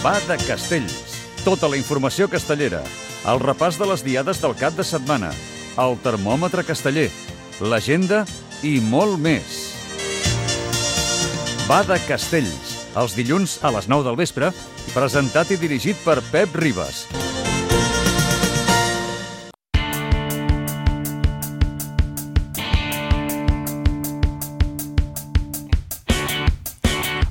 Va de Castells. Tota la informació castellera. El repàs de les diades del cap de setmana. El termòmetre casteller. L'agenda i molt més. Va de Castells. Els dilluns a les 9 del vespre. Presentat i dirigit per Pep Ribas.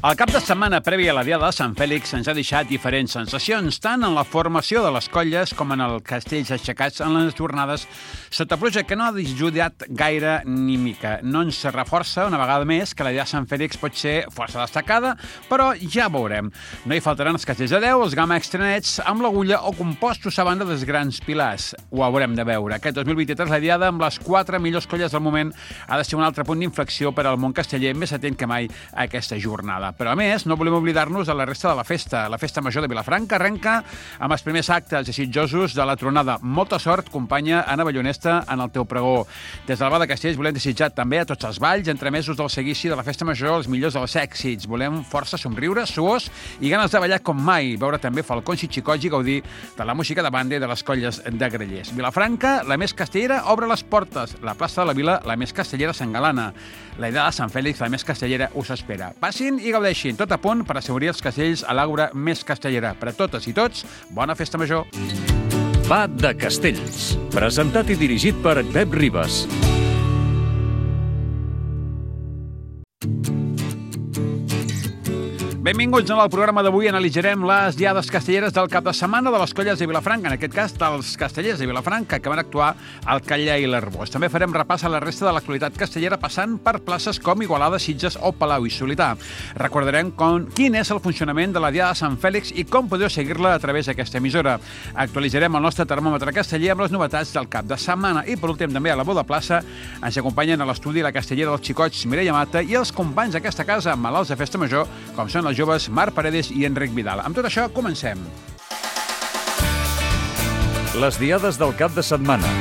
El cap de setmana previ a la Diada de Sant Fèlix ens ha deixat diferents sensacions, tant en la formació de les colles com en els castells aixecats en les jornades sota pluja, que no ha disjudicat gaire ni mica. No ens reforça, una vegada més, que la Diada de Sant Fèlix pot ser força destacada, però ja veurem. No hi faltaran els castells de 10, els gamma extranets amb l'agulla o compostos a banda dels grans pilars. Ho haurem de veure. Aquest 2023 la Diada, amb les 4 millors colles del moment, ha de ser un altre punt d'inflexió per al món casteller, més atent que mai a aquesta jornada. Però, a més, no volem oblidar-nos de la resta de la festa. La festa major de Vilafranca arrenca amb els primers actes desitjosos de la tronada. Molta sort, companya Anna Ballonesta, en el teu pregó. Des del Bar de Castells volem desitjar també a tots els balls, entremesos del seguici de la festa major, els millors dels èxits. Volem força somriure, suors i ganes de ballar com mai. Veure també falcons i xicots i gaudir de la música de banda i de les colles de grellers. Vilafranca, la més castellera, obre les portes. La plaça de la Vila, la més castellera, s'engalana. La idea de Sant Fèlix, la més castellera, us espera. Passin i gaudeixin, tot a punt per assegurir els castells a l'àgora més castellera. Per a totes i tots, bona festa major. Va de Castells. Presentat i dirigit per Pep Ribas. Benvinguts al programa d'avui. Analitzarem les diades castelleres del cap de setmana de les colles de Vilafranca, en aquest cas dels castellers de Vilafranca, que van actuar al Catllà i l'Arbós. També farem repàs a la resta de l'actualitat castellera, passant per places com Igualada, Sitges o Palau i Solità. Recordarem quin és el funcionament de la Diada de Sant Fèlix i com podeu seguir-la a través d'aquesta emissora. Actualitzarem el nostre termòmetre casteller amb les novetats del cap de setmana. I, per últim, també a la Boda Plaça ens acompanyen a l'estudi la castellera dels xicots Mireia Mata i els companys d'aquesta casa malalts de festa major, com són els joves Marc Paredes i Enric Vidal. Amb tot això, comencem. Les diades del cap de setmana.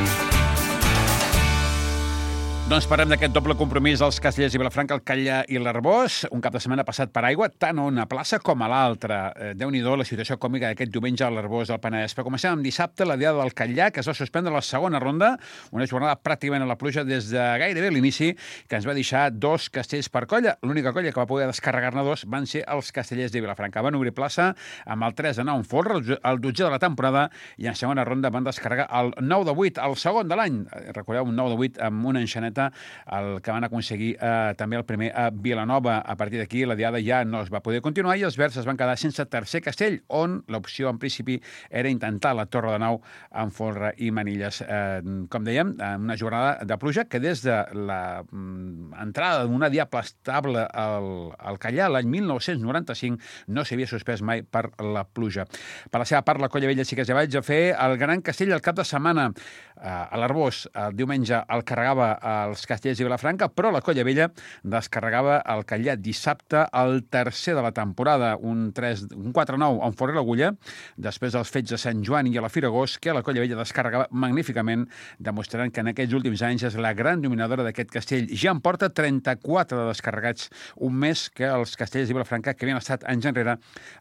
Doncs parlem d'aquest doble compromís dels castellers de Vilafranca, el Catllà i l'Arbós. Un cap de setmana passat per aigua, tant a una plaça com a l'altra. Déu-n'hi-do la situació còmica d'aquest diumenge a l'Arbós del Penedès. Però comencem amb dissabte, la Diada del Catllà, que es va suspendre la segona ronda, una jornada pràcticament a la pluja des de gairebé l'inici, que ens va deixar 2 castells per colla. L'única colla que va poder descarregar-ne 2 van ser els castellers de Vilafranca. Van obrir plaça amb el 3-9 en folre, el 12è de la temporada, i en segona ronda van descarregar el 9-8, el segon de l'any. Recordeu, un 9-8 amb una enxaneta, el que van aconseguir també el primer a Vilanova. A partir d'aquí la Diada ja no es va poder continuar i els verds es van quedar sense tercer castell, on l'opció en principi era intentar la Torre de Nau amb folre i manilles. Com dèiem, una jornada de pluja que des de l'entrada d'una diable estable al Catllà l'any 1995 no s'havia suspès mai per la pluja. Per la seva part, la Colla Vella sí que ja vaig a fer el Gran Castell el cap de setmana. A l'Arbós el diumenge el carregava els castellers de Vilafranca, però la Colla Vella descarregava el Catllà dissabte, el tercer de la temporada, un 4-9 en folre l'agulla, després dels fets de Sant Joan i a la Fira Agost, que la Colla Vella descarregava magníficament, demostrant que en aquests últims anys és la gran dominadora d'aquest castell. Ja en porta 34 de descarregats, un més que els castellers de Vilafranca, que havien estat anys enrere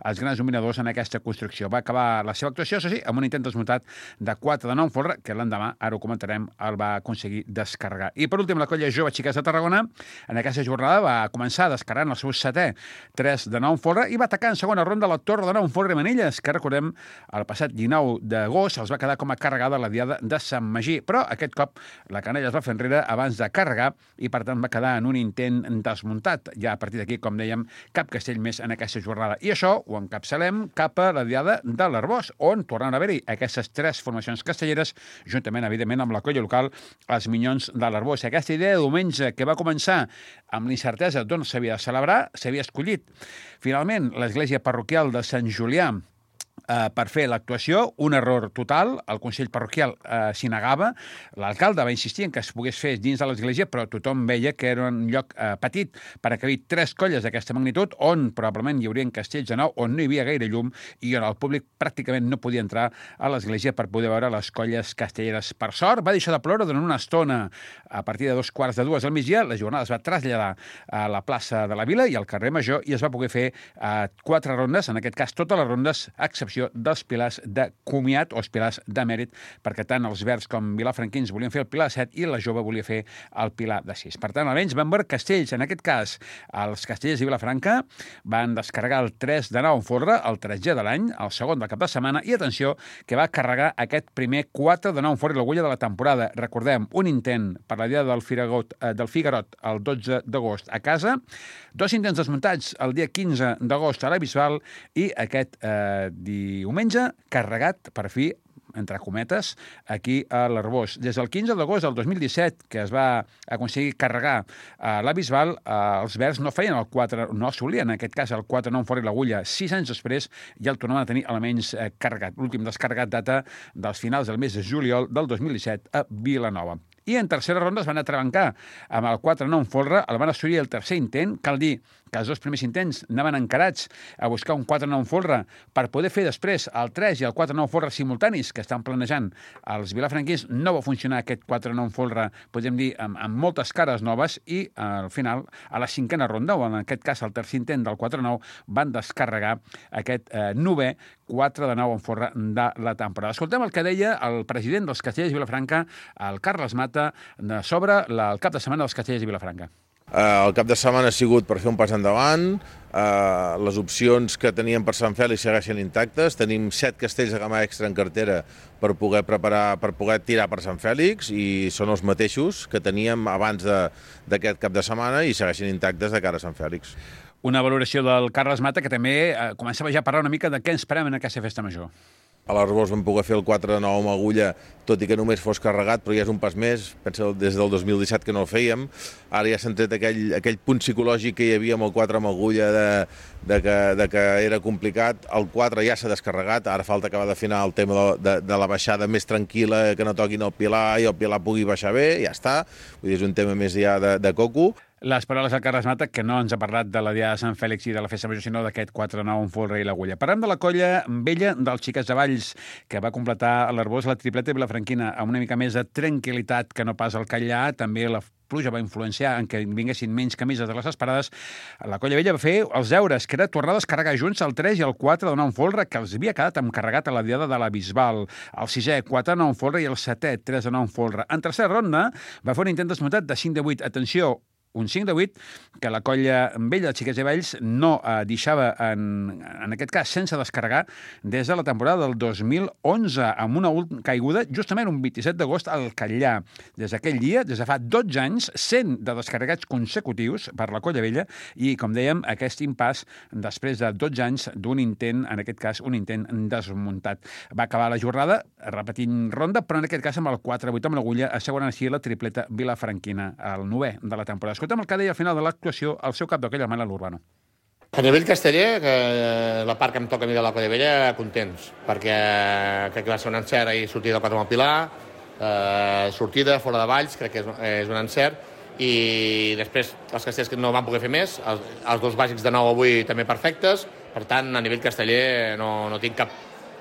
els grans dominadors en aquesta construcció. Va acabar la seva actuació, això sí, amb un intent desmuntat de 4-9 en folre, que l'endemà, ara ho comentarem, el va aconseguir descarregar. I per últim, la Colla Jove Xiques de Tarragona, en aquesta jornada va començar descarregant el seu 7è 3-9 en folre i va atacar en segona ronda la Torre de Nau en folre i manilles, que recordem, el passat 19 d'agost els va quedar com a carregada la Diada de Sant Magí. Però aquest cop la canalla es va fer enrere abans de carregar i per tant va quedar en un intent desmuntat. Ja a partir d'aquí, com dèiem, cap castell més en aquesta jornada. I això ho encapçalem cap a la Diada de l'Arbós, on tornen a haver-hi aquestes 3 formacions castelleres, juntament, evidentment, amb la colla local, els Minyons de l'Arbós. Aquesta idea de diumenge que va començar amb l'incertesa d'on s'havia de celebrar, s'havia escollit finalment l'església parroquial de Sant Julià per fer l'actuació, un error total, el Consell Parroquial s'hi negava, l'alcalde va insistir en que es pogués fer dins de l'església, però tothom veia que era un lloc petit per acabir 3 colles d'aquesta magnitud, on probablement hi haurien castells de nou, on no hi havia gaire llum i on el públic pràcticament no podia entrar a l'església per poder veure les colles castelleres. Per sort, va deixar de ploure durant una estona. A partir de 2:45 del migdia, la jornada es va traslladar a la plaça de la Vila i al carrer Major i es va poder fer 4 rondes, en aquest cas totes les rondes, a excepció dels pilars de comiat o els pilars de mèrit, perquè tant els verds com vilafranquins volien fer el pilar 7 i la jove volia fer el pilar de 6. Per tant, almenys van veure castells. En aquest cas, els castellers de Vilafranca van descarregar el 3 de 9 en folre, el 13è de l'any, el segon del cap de setmana, i atenció, que va carregar aquest primer 4 de 9 en folre i l'agulla de la temporada. Recordem, un intent per la dia del Figarot el 12 d'agost a casa, 2 intents desmuntats el dia 15 d'agost a la Bisbal i aquest diumenge carregat, per fi, entre cometes, aquí a l'Arbós. Des del 15 d'agost del 2017, que es va aconseguir carregar la Bisbal, els verds no feien el 4, no assolien, en aquest cas, el 4-9 fora i l'agulla. 6 anys després ja el tornaven a tenir almenys carregat. L'últim descarregat data dels finals del mes de juliol del 2017 a Vilanova. I en tercera ronda es van atrabancar amb el 4-9 en folre, el van assolir el tercer intent. Cal dir que els 2 primers intents anaven encarats a buscar un 4-9 en folre per poder fer després el 3 i el 4-9 en folre simultanis que estan planejant els vilafranquins. No va funcionar aquest 4-9 en folre, podem dir, amb moltes cares noves i al final, a la 5a ronda, o en aquest cas el tercer intent del 4-9, van descarregar aquest 9è 4 de 9 en folre de la temporada. Escoltem el que deia el president dels Castellers de Vilafranca, el Carles Mata, sobre el cap de setmana dels Castellers de Vilafranca. El cap de setmana ha sigut per fer un pas endavant. Les opcions que teníem per Sant Fèlix segueixen intactes. Tenim 7 castells de gamma extra en cartera per poder preparar, per poder tirar per Sant Fèlix i són els mateixos que teníem abans d'aquest cap de setmana i segueixen intactes de cara a Sant Fèlix. Una valoració del Carles Mata que també començava ja a parlar una mica de què ens esperem en aquesta festa major. A l'Arbós vam poder fer el 4 de 9 amb agulla, tot i que només fos carregat, però ja és un pas més. Pensa des del 2017 que no el fèiem. Ara ja s'ha tret aquell punt psicològic que hi havia amb el 4 amb agulla de que era complicat. El 4 ja s'ha descarregat, ara falta acabar d'afinar el tema de la baixada més tranquil·la, que no toquin el pilar i el pilar pugui baixar bé, ja està. Vull dir, és un tema més ja de coco. Les paraules del Carles Mata, que no ens ha parlat de la Diada de Sant Fèlix i de la Festa Major, sinó d'aquest 4-9 en folre i l'agulla. Parlem de la colla vella dels Xiquets de Valls, que va completar a l'Arbós la tripleta vilafranquina amb una mica més de tranquil·litat que no pas al Callà. També la pluja va influenciar en que vinguessin menys camises de les esperades. La colla vella va fer els deures, que era tornar a descarregar junts el 3 i el 4 de 9 en folre, que els havia quedat encarregat a la Diada de la Bisbal. El 6è, 4 de 9 en folre, i el 7è, 3 de 9 en folre. En tercera ronda va fer un intent desmuntat de 5 de 8. Atenció, un 5 de 8, que la colla vella de Xiquets de Valls no deixava, en aquest cas, sense descarregar des de la temporada del 2011, amb una caiguda justament un 27 d'agost al Catllà. Des d'aquell dia, des de fa 12 anys, 100 de descarregats consecutius per la colla vella i, com dèiem, aquest impàs després de 12 anys d'un intent, en aquest cas, un intent desmuntat. Va acabar la jornada repetint ronda, però en aquest cas amb el 4-8 amb l'agulla, assegurant així la tripleta vilafranquina, el 9è de la temporada. Escoltem el que deia al final de l'actuació el seu cap d'aquella Manel Urbano. A nivell casteller, que la part que em toca a mi de la colla vella, contents, perquè crec que va ser un encert ahir sortir del 4 amb el Pilar, sortida fora de Valls, crec que és un encert, i després els castells que no van poder fer més, els 2 bàsics de 9 avui també perfectes, per tant, a nivell casteller no tinc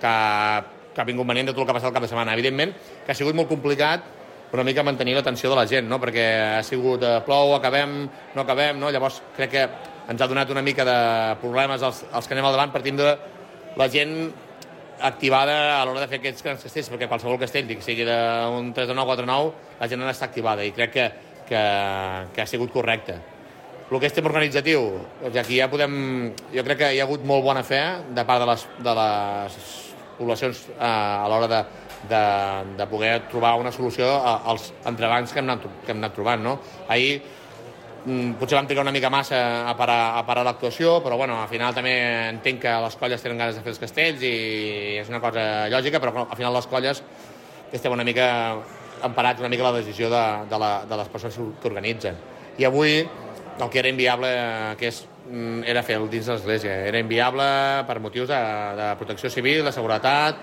cap inconvenient de tot el que ha passat el cap de setmana. Evidentment que ha sigut molt complicat una mica mantenir l'atenció de la gent, no? Perquè ha sigut plou, acabem, no acabem, no? Llavors crec que ens ha donat una mica de problemes els que anem al davant per tindre la gent activada a l'hora de fer aquests grans castells, perquè qualsevol castell, sigui d'un 3 de 9, 4 de 9, la gent n'està activada i crec que ha sigut correcte. El que és tema organitzatiu, aquí ja podem... Jo crec que hi ha hagut molt bona fe de part de les poblacions a l'hora de poder trobar una solució als entrebancs que hem anat trobant, no? Ahir potser vam trigar una mica massa a parar l'actuació, però bueno, al final també entenc que les colles tenen ganes de fer els castells i és una cosa lògica, però al final les colles estem una mica emparats una mica la decisió de les persones que organitzen. I avui el que era inviable, que és era fer-lo dins de l'església. Era inviable per motius de protecció civil, de seguretat.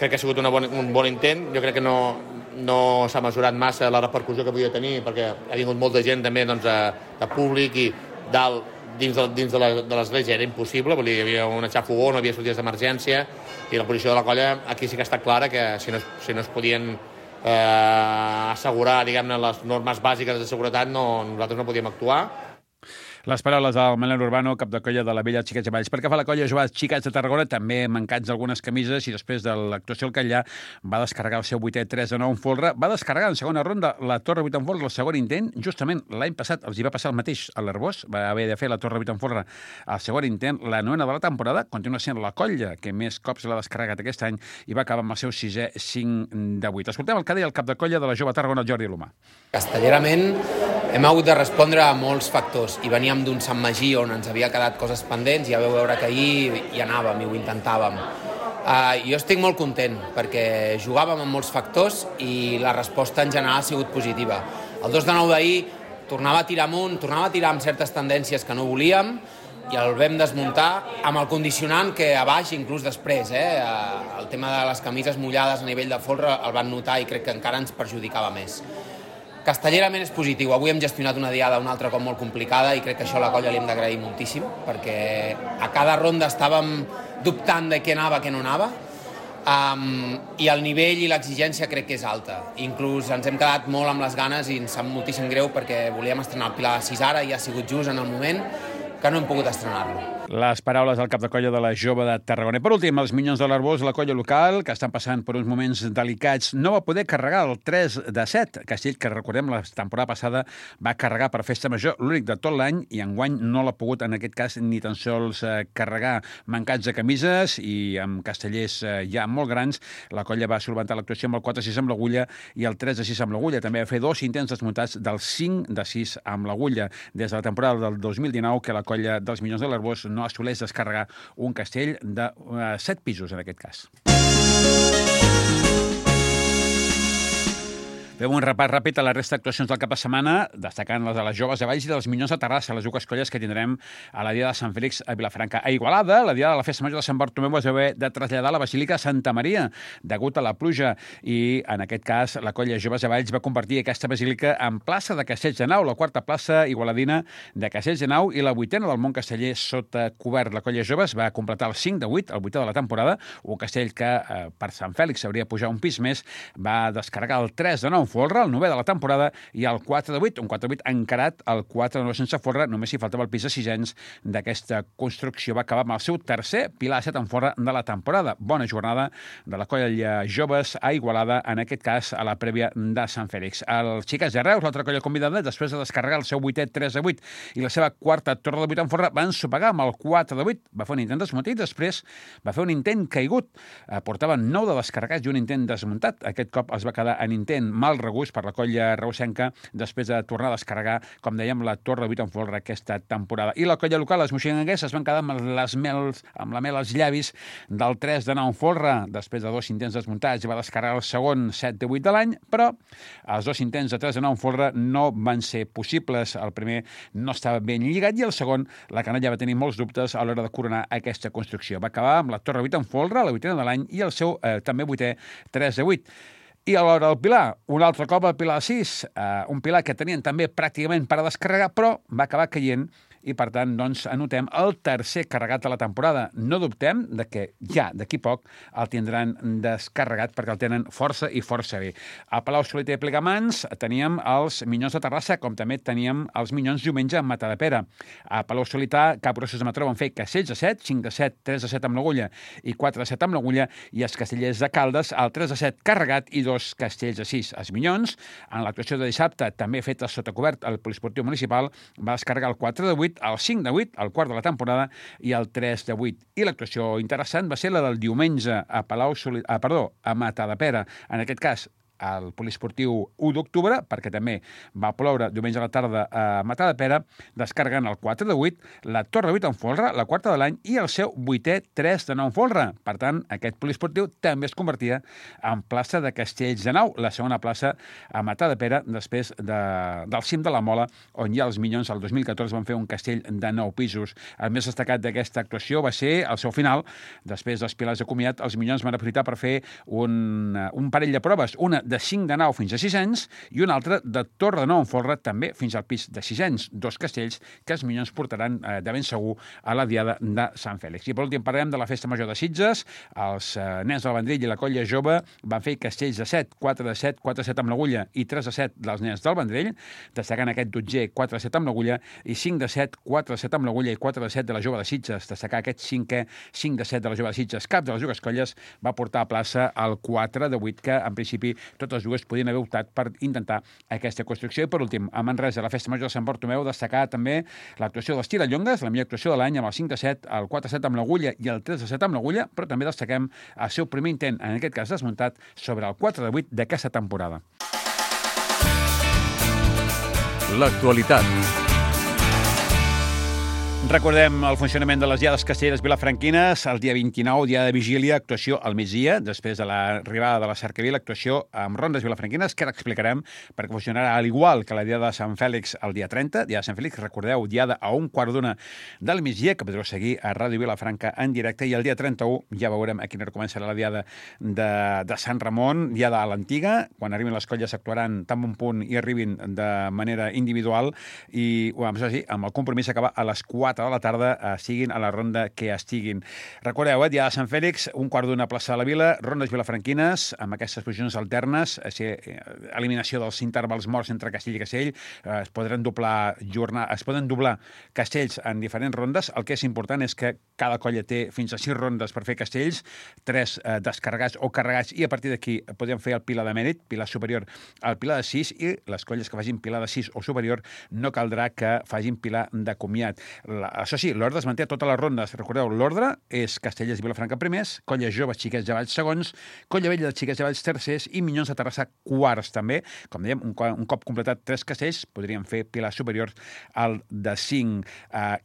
Crec que ha sigut un bon intent. Jo crec que no s'ha mesurat massa la repercussió que podia tenir, perquè ha vingut molta gent també de públic i dins de l'església era impossible, vull dir, hi havia un xafogó, no havia sortides d'emergència, i la posició de la colla aquí sí que està clara que si no es podien assegurar, diguem-ne, les normes bàsiques de seguretat, nosaltres no podíem actuar. Les paraules del Manel Urbano, cap de colla de la vella Xiquets de Valls. Pel que fa a la colla jove Xiquets de Tarragona, també mancats algunes camises, i després de l'actuació al Catllà va descarregar el seu 8è 3-9 en folre. Va descarregar en segona ronda la Torre 8 en folre, el segon intent. Justament l'any passat els hi va passar el mateix a l'Arbós. Va haver de fer la Torre 8 en folre al segon intent. La 9a de la temporada continua sent la colla que més cops l'ha descarregat aquest any i va acabar amb el seu 6è 5-8. Escoltem el que deia el cap de colla de la jove Tarragona, Jordi Lomà. Castellerament hem hagut de respondre a molts factors i veníem d'un Sant Magí on ens havia quedat coses pendents i ja vau veure que ahir hi anàvem i ho intentàvem. Jo estic molt content perquè jugàvem amb molts factors i la resposta en general ha sigut positiva. El 2-9 d'ahir tornava a tirar amunt, tornava a tirar amb certes tendències que no volíem i el vam desmuntar amb el condicionant que a baix, inclús després, el tema de les camises mullades a nivell de folre el van notar i crec que encara ens perjudicava més. Castellerament és positiu. Avui hem gestionat una diada un altre cop molt complicada i crec que això a la colla li hem d'agrair moltíssim perquè a cada ronda estàvem dubtant de què anava, què no anava i el nivell i l'exigència crec que és alta. Inclús ens hem quedat molt amb les ganes i ens sap moltíssim greu perquè volíem estrenar el Pilar de 6 ara i ha sigut just en el moment que no hem pogut estrenar-lo. Les paraules del cap de colla de la jove de Tarragona. I per últim, els Minyons de l'Arbós, la colla local, que estan passant per uns moments delicats, no va poder carregar el 3-7. Castell, que recordem, la temporada passada va carregar per Festa Major l'únic de tot l'any i enguany no l'ha pogut, en aquest cas, ni tan sols carregar. Mancats de camises i amb castellers ja molt grans, la colla va solventar l'actuació amb el 4-6 amb l'agulla i el 3-6 amb l'agulla. També va fer 2 intents desmuntats del 5-6 amb l'agulla. Des de la temporada del 2019 que la colla dels Minyons de l'Arbós no assoleix descarregar un castell de 7 pisos, en aquest cas. Fem un repàs ràpid a la resta d'actuacions del cap de setmana, destacant les de les joves de Valls i dels Minyons de Terrassa, les dues colles que tindrem a la Diada de Sant Fèlix a Vilafranca. A Igualada, la Diada de la Festa Major de Sant Bartomeu es va haver de traslladar a la Basílica de Santa Maria, degut a la pluja, i en aquest cas la colla Joves de Valls va convertir aquesta basílica en plaça de Castells de Nau, la quarta plaça igualadina de Castells de Nau i la 8a del món casteller sota cobert. La colla Joves va completar el 5-8, el 8è de la temporada, un castell que per Sant Fèlix hauria de pujar un pis més, va descarregar el 3-9 folre, el 9è de la temporada, i el 4-8, un 4-8 encarat, el 4-9 sense folre, només hi faltava el pis de 6 anys d'aquesta construcció. Va acabar amb el seu tercer Pilar 7 en folre de la temporada. Bona jornada de la colla Joves a Igualada, en aquest cas a la prèvia de Sant Fèlix. Els Xiquets de Reus, l'altra colla convidada, després de descarregar el seu 8è 3-8 i la seva quarta torre de 8 en folre, va ensopegar amb el 4-8. Va fer un intent desmuntat i després va fer un intent caigut. Portaven 9 de descarregats i un intent desmuntat. Aquest cop es va quedar en intent mal regust per la colla reusenca després de tornar a descarregar, com dèiem, la torre de 8 en folre aquesta temporada. I la colla local, les moixinguenques, es van quedar amb la mel als llavis del 3-9 en folre. Després de 2 intents desmuntats va descarregar el segon 7-8 de l'any, però els 2 intents de 3-9 en folre no van ser possibles. El primer no estava ben lligat i el segon, la canalla va tenir molts dubtes a l'hora de coronar aquesta construcció. Va acabar amb la torre 8 en folre, la 8a de l'any, i el seu també 8è 3-8. I a l'hora del Pilar, un altre cop el Pilar 6, un Pilar que tenien també pràcticament per a descarregar, però va acabar caient i, per tant, doncs, anotem el tercer carregat de la temporada. No dubtem de que ja d'aquí poc el tindran descarregat perquè el tenen força i força bé. A Palau-solità i Plegamans teníem els Minyons de Terrassa, com també teníem els Minyons diumenge a Matadepera. A Palau-solità, Capgrossos de Mataró van fer castells de 7, 5-7, 3-7 amb l'agulla i 4-7 amb l'agulla, i els castellers de Caldes, el 3-7 carregat i 2 castells de 6. Els Minyons, en l'actuació de dissabte, també feta sota cobert al Poliesportiu Municipal, va descarregar el 4-8, el 5-8, el quart de la temporada, i el 3-8. I l'actuació interessant va ser la del diumenge a Matadepera. En aquest cas, al poliesportiu 1 d'octubre, perquè també va ploure diumenge a la tarda a Matadepera, descarregant el 4 de 8, la Torre 8 en folre, la quarta de l'any, i el seu 8è 3 de 9 en folre. Per tant, aquest poliesportiu també es convertia en plaça de Castells de Nou, la segona plaça a Matadepera, després del cim de la Mola, on ja els Minyons el 2014 van fer un castell de 9 pisos. El més destacat d'aquesta actuació va ser el seu final. Després dels pilars de comiat, els Minyons van aprofitar per fer un parell de proves, una de 5 de 9 fins a 6 anys i una altra de torre de 9 en folre, també fins al pis de 6 anys. 2 castells que els Minyons portaran de ben segur a la Diada de Sant Fèlix. I per últim parlem de la Festa Major de Sitges. Els nens del Vendrell i la Colla Jove van fer castells de 7, 4 de 7, 4 de 7 amb l'agulla i 3 de 7 dels nens del Vendrell, destacant aquest dotzer 4 de 7 amb l'agulla i 5 de 7, 4 de 7 amb l'agulla i 4 de 7 de la Jove de Sitges, destacar aquest 5è 5 de 7 de la Jove de Sitges. Cap de les dues colles va portar a plaça el 4 de 8, que en principi totes dues podien haver optat per intentar aquesta construcció. I per últim, a Manresa, la Festa Major de Sant Bartomeu, destacar també l'actuació dels Tirallongues, la millor actuació de l'any, amb el 5 de 7, el 4 de 7 amb l'agulla i el 3 de 7 amb l'agulla, però també destaquem el seu primer intent, en aquest cas desmuntat, sobre el 4 de 8 d'aquesta temporada. L'actualitat. Recordem el funcionament de les diades castelleres vilafranquines. El dia 29, dia de vigília, actuació al migdia, després de l'arribada de la cercavila, actuació amb rondes vilafranquines, que ara explicarem, perquè funcionarà al igual que la diada de Sant Fèlix el dia 30. Diada de Sant Fèlix, recordeu, diada a 1:15 del migdia, que podreu seguir a Ràdio Vilafranca en directe, i el dia 31 ja veurem a quina hora començarà la diada de Sant Ramon, diada a l'antiga. Quan arribin les colles actuaran tan bon punt i arribin de manera individual, i amb el compromís acabar a les 4 de la tarda, siguin a la ronda que estiguin. Recordeu, dia de Sant Fèlix, 1:15 plaça de la Vila, rondes vilafranquines, amb aquestes posicions alternes, eliminació dels intervals morts entre Castell i Castell, es poden doblar castells en diferents rondes. El que és important és que cada colla té fins a 6 rondes per fer castells, 3 descarregats o carregats, i a partir d'aquí podem fer el pilar de mèrit, pilar superior al pilar de 6, i les colles que facin pilar de 6 o superior no caldrà que facin pilar de comiat. Això sí, l'ordre es manté a totes les rondes. Recordeu, l'ordre és Castellers i Vilafranca primers, Colles Joves, Xiquets de Valls segons, Colla Vella de Xiquets de Valls tercers i Minyons de Terrassa quarts també. Com dèiem, un cop completat 3 castells, podríem fer pilar superior al de 5.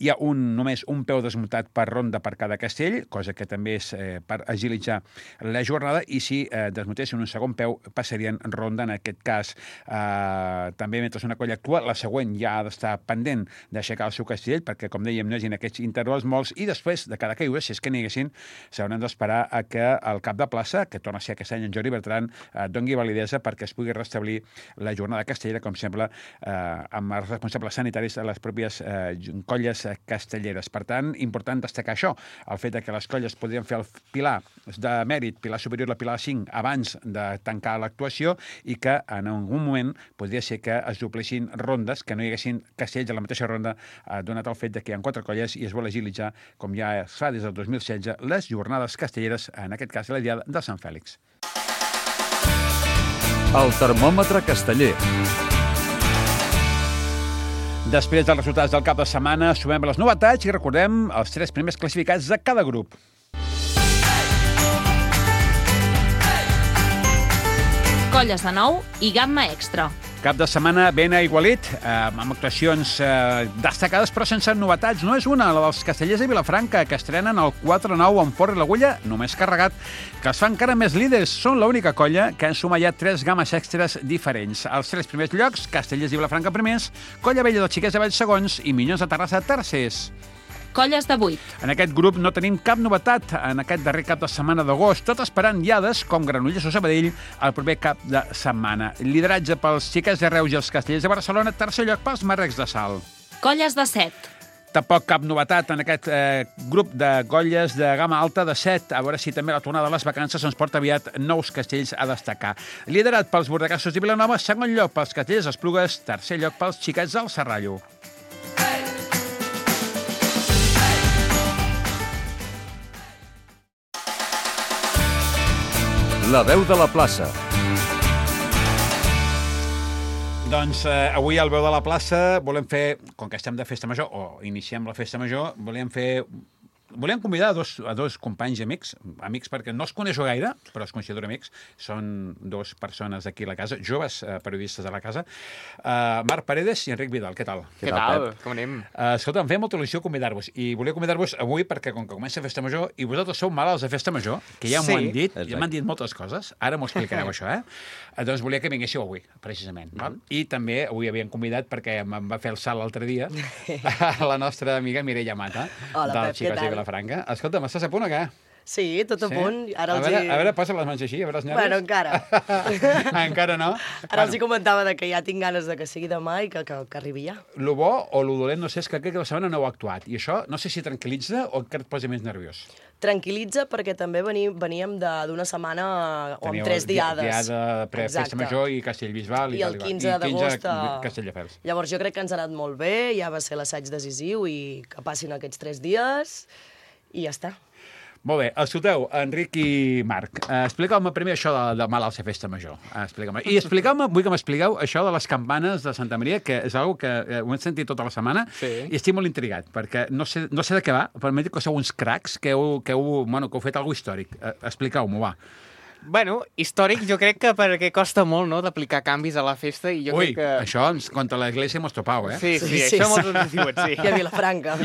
Hi ha només un peu desmuntat per ronda per cada castell, cosa que també és per agilitzar la jornada, i si desmuntessin un segon peu, passarien ronda en aquest cas. També, mentre una colla actua, la següent ja ha d'estar pendent d'aixecar el seu castell, perquè, com dèiem, no hi hagi aquests intervals molts, i després de cada caiguda, si és que n'hi haguessin, s'hauran d'esperar a que el cap de plaça, que torna a ser aquest any en Jordi Bertran, doni validesa perquè es pugui restablir la jornada castellera, com sempre, amb els responsables sanitaris de les pròpies colles castelleres. Per tant, important destacar això, el fet que les colles podrien fer el pilar de mèrit, pilar superior a pilar 5, abans de tancar l'actuació, i que en algun moment podria ser que es duplessin rondes, que no hi haguessin castells a la mateixa ronda, donat el fet que hi ha 4 colles i es vol agilitzar, com ja es fa des del 2016, les jornades castelleres, en aquest cas la diada de Sant Fèlix. El termòmetre casteller. Després dels resultats del cap de setmana, sumem les novetats i recordem els 3 primers classificats de cada grup. Colles de nou i gamma extra. Cap de setmana ben aigualit, amb actuacions destacades, però sense novetats. No és una, la dels Castellers de Vilafranca, que estrenen el 4-9 amb forra i l'agulla, només carregat, que els fa encara més líders. Són l'única colla que han sumat ja 3 games extres diferents. Els 3 primers llocs, Castellers i Vilafranca primers, Colla Vella dels Xiquets de Valls segons i Minyons de Terrassa tercers. Colles de 8. En aquest grup no tenim cap novetat en aquest darrer cap de setmana d'agost, tot esperant diades com Granollers o Sabadell el proper cap de setmana. Lideratge pels Xiquets de Reus i els Castellers de Barcelona, tercer lloc pels Marrecs de Salt. Colles de 7. Tampoc cap novetat en aquest grup de colles de gamma alta de 7. A veure si també la tornada de les vacances ens porta aviat nous castells a destacar. Liderat pels Bordegassos i Vilanova, segon lloc pels Castellers d'Esplugues, tercer lloc pels Xiquets del Serrallo. La veu de la plaça. Doncs avui al Veu de la Plaça volem fer, com que estem de festa major, o iniciem la festa major, volem fer volíem convidar a dos companys i amics perquè no els coneixo gaire, però els considero amics. Són dos persones d'aquí a la casa, joves periodistes de la casa. Marc Paredes i Enric Vidal, què tal? Què tal? Com anem? Escolta, em feia molta il·lusió convidar-vos, i volia convidar-vos avui perquè, com que comença Festa Major, i vosaltres sou malalts de Festa Major, que ja m'ho han dit, ja m'han dit moltes coses, ara m'ho explicareu això, Doncs volia que vinguéssiu avui, precisament. I també avui havien convidat, perquè em va fer el salt l'altre dia, la nostra amiga Mireia Mata, del Xiques de Vilafranca. Escolta, m'estàs a punt o què? Sí, tot a punt. Ara a veure, posa les mans així, a veure els nervis. Bueno, encara. Encara no? Ara els hi comentava que ja tinc ganes de que sigui demà i que arribi ja. Lo bo o lo dolent, no sé, és que crec que la setmana no heu actuat. I això, no sé si tranquil·litza o encara et posa més nerviós. Tranquil·litza perquè també veníem d'una setmana o amb 3 diades. Diada pre-Festa Major i Castellbisbal i el 15 d'agost Castelldefels. Llavors jo crec que ens ha anat molt bé, ja va ser l'assaig decisiu i que passin aquests 3 dies i ja està. Molt bé, escolteu, Enric i Marc, expliqueu-me primer això de malalts a Festa Major. Expliqueu-me. I vull que m'expliqueu això de les campanes de Santa Maria, que és una que ho hem sentit tota la setmana, i estic molt intrigat, perquè no sé de què va, però m'he dit que sou uns cracs, que heu fet alguna cosa històric. Expliqueu-m'ho, va. Bueno, històric jo crec que perquè costa molt, no?, d'aplicar canvis a la festa i jo crec que... Això contra l'Església hemos topau, Sí, això molts ens diuen, sí. I a Vilafranca.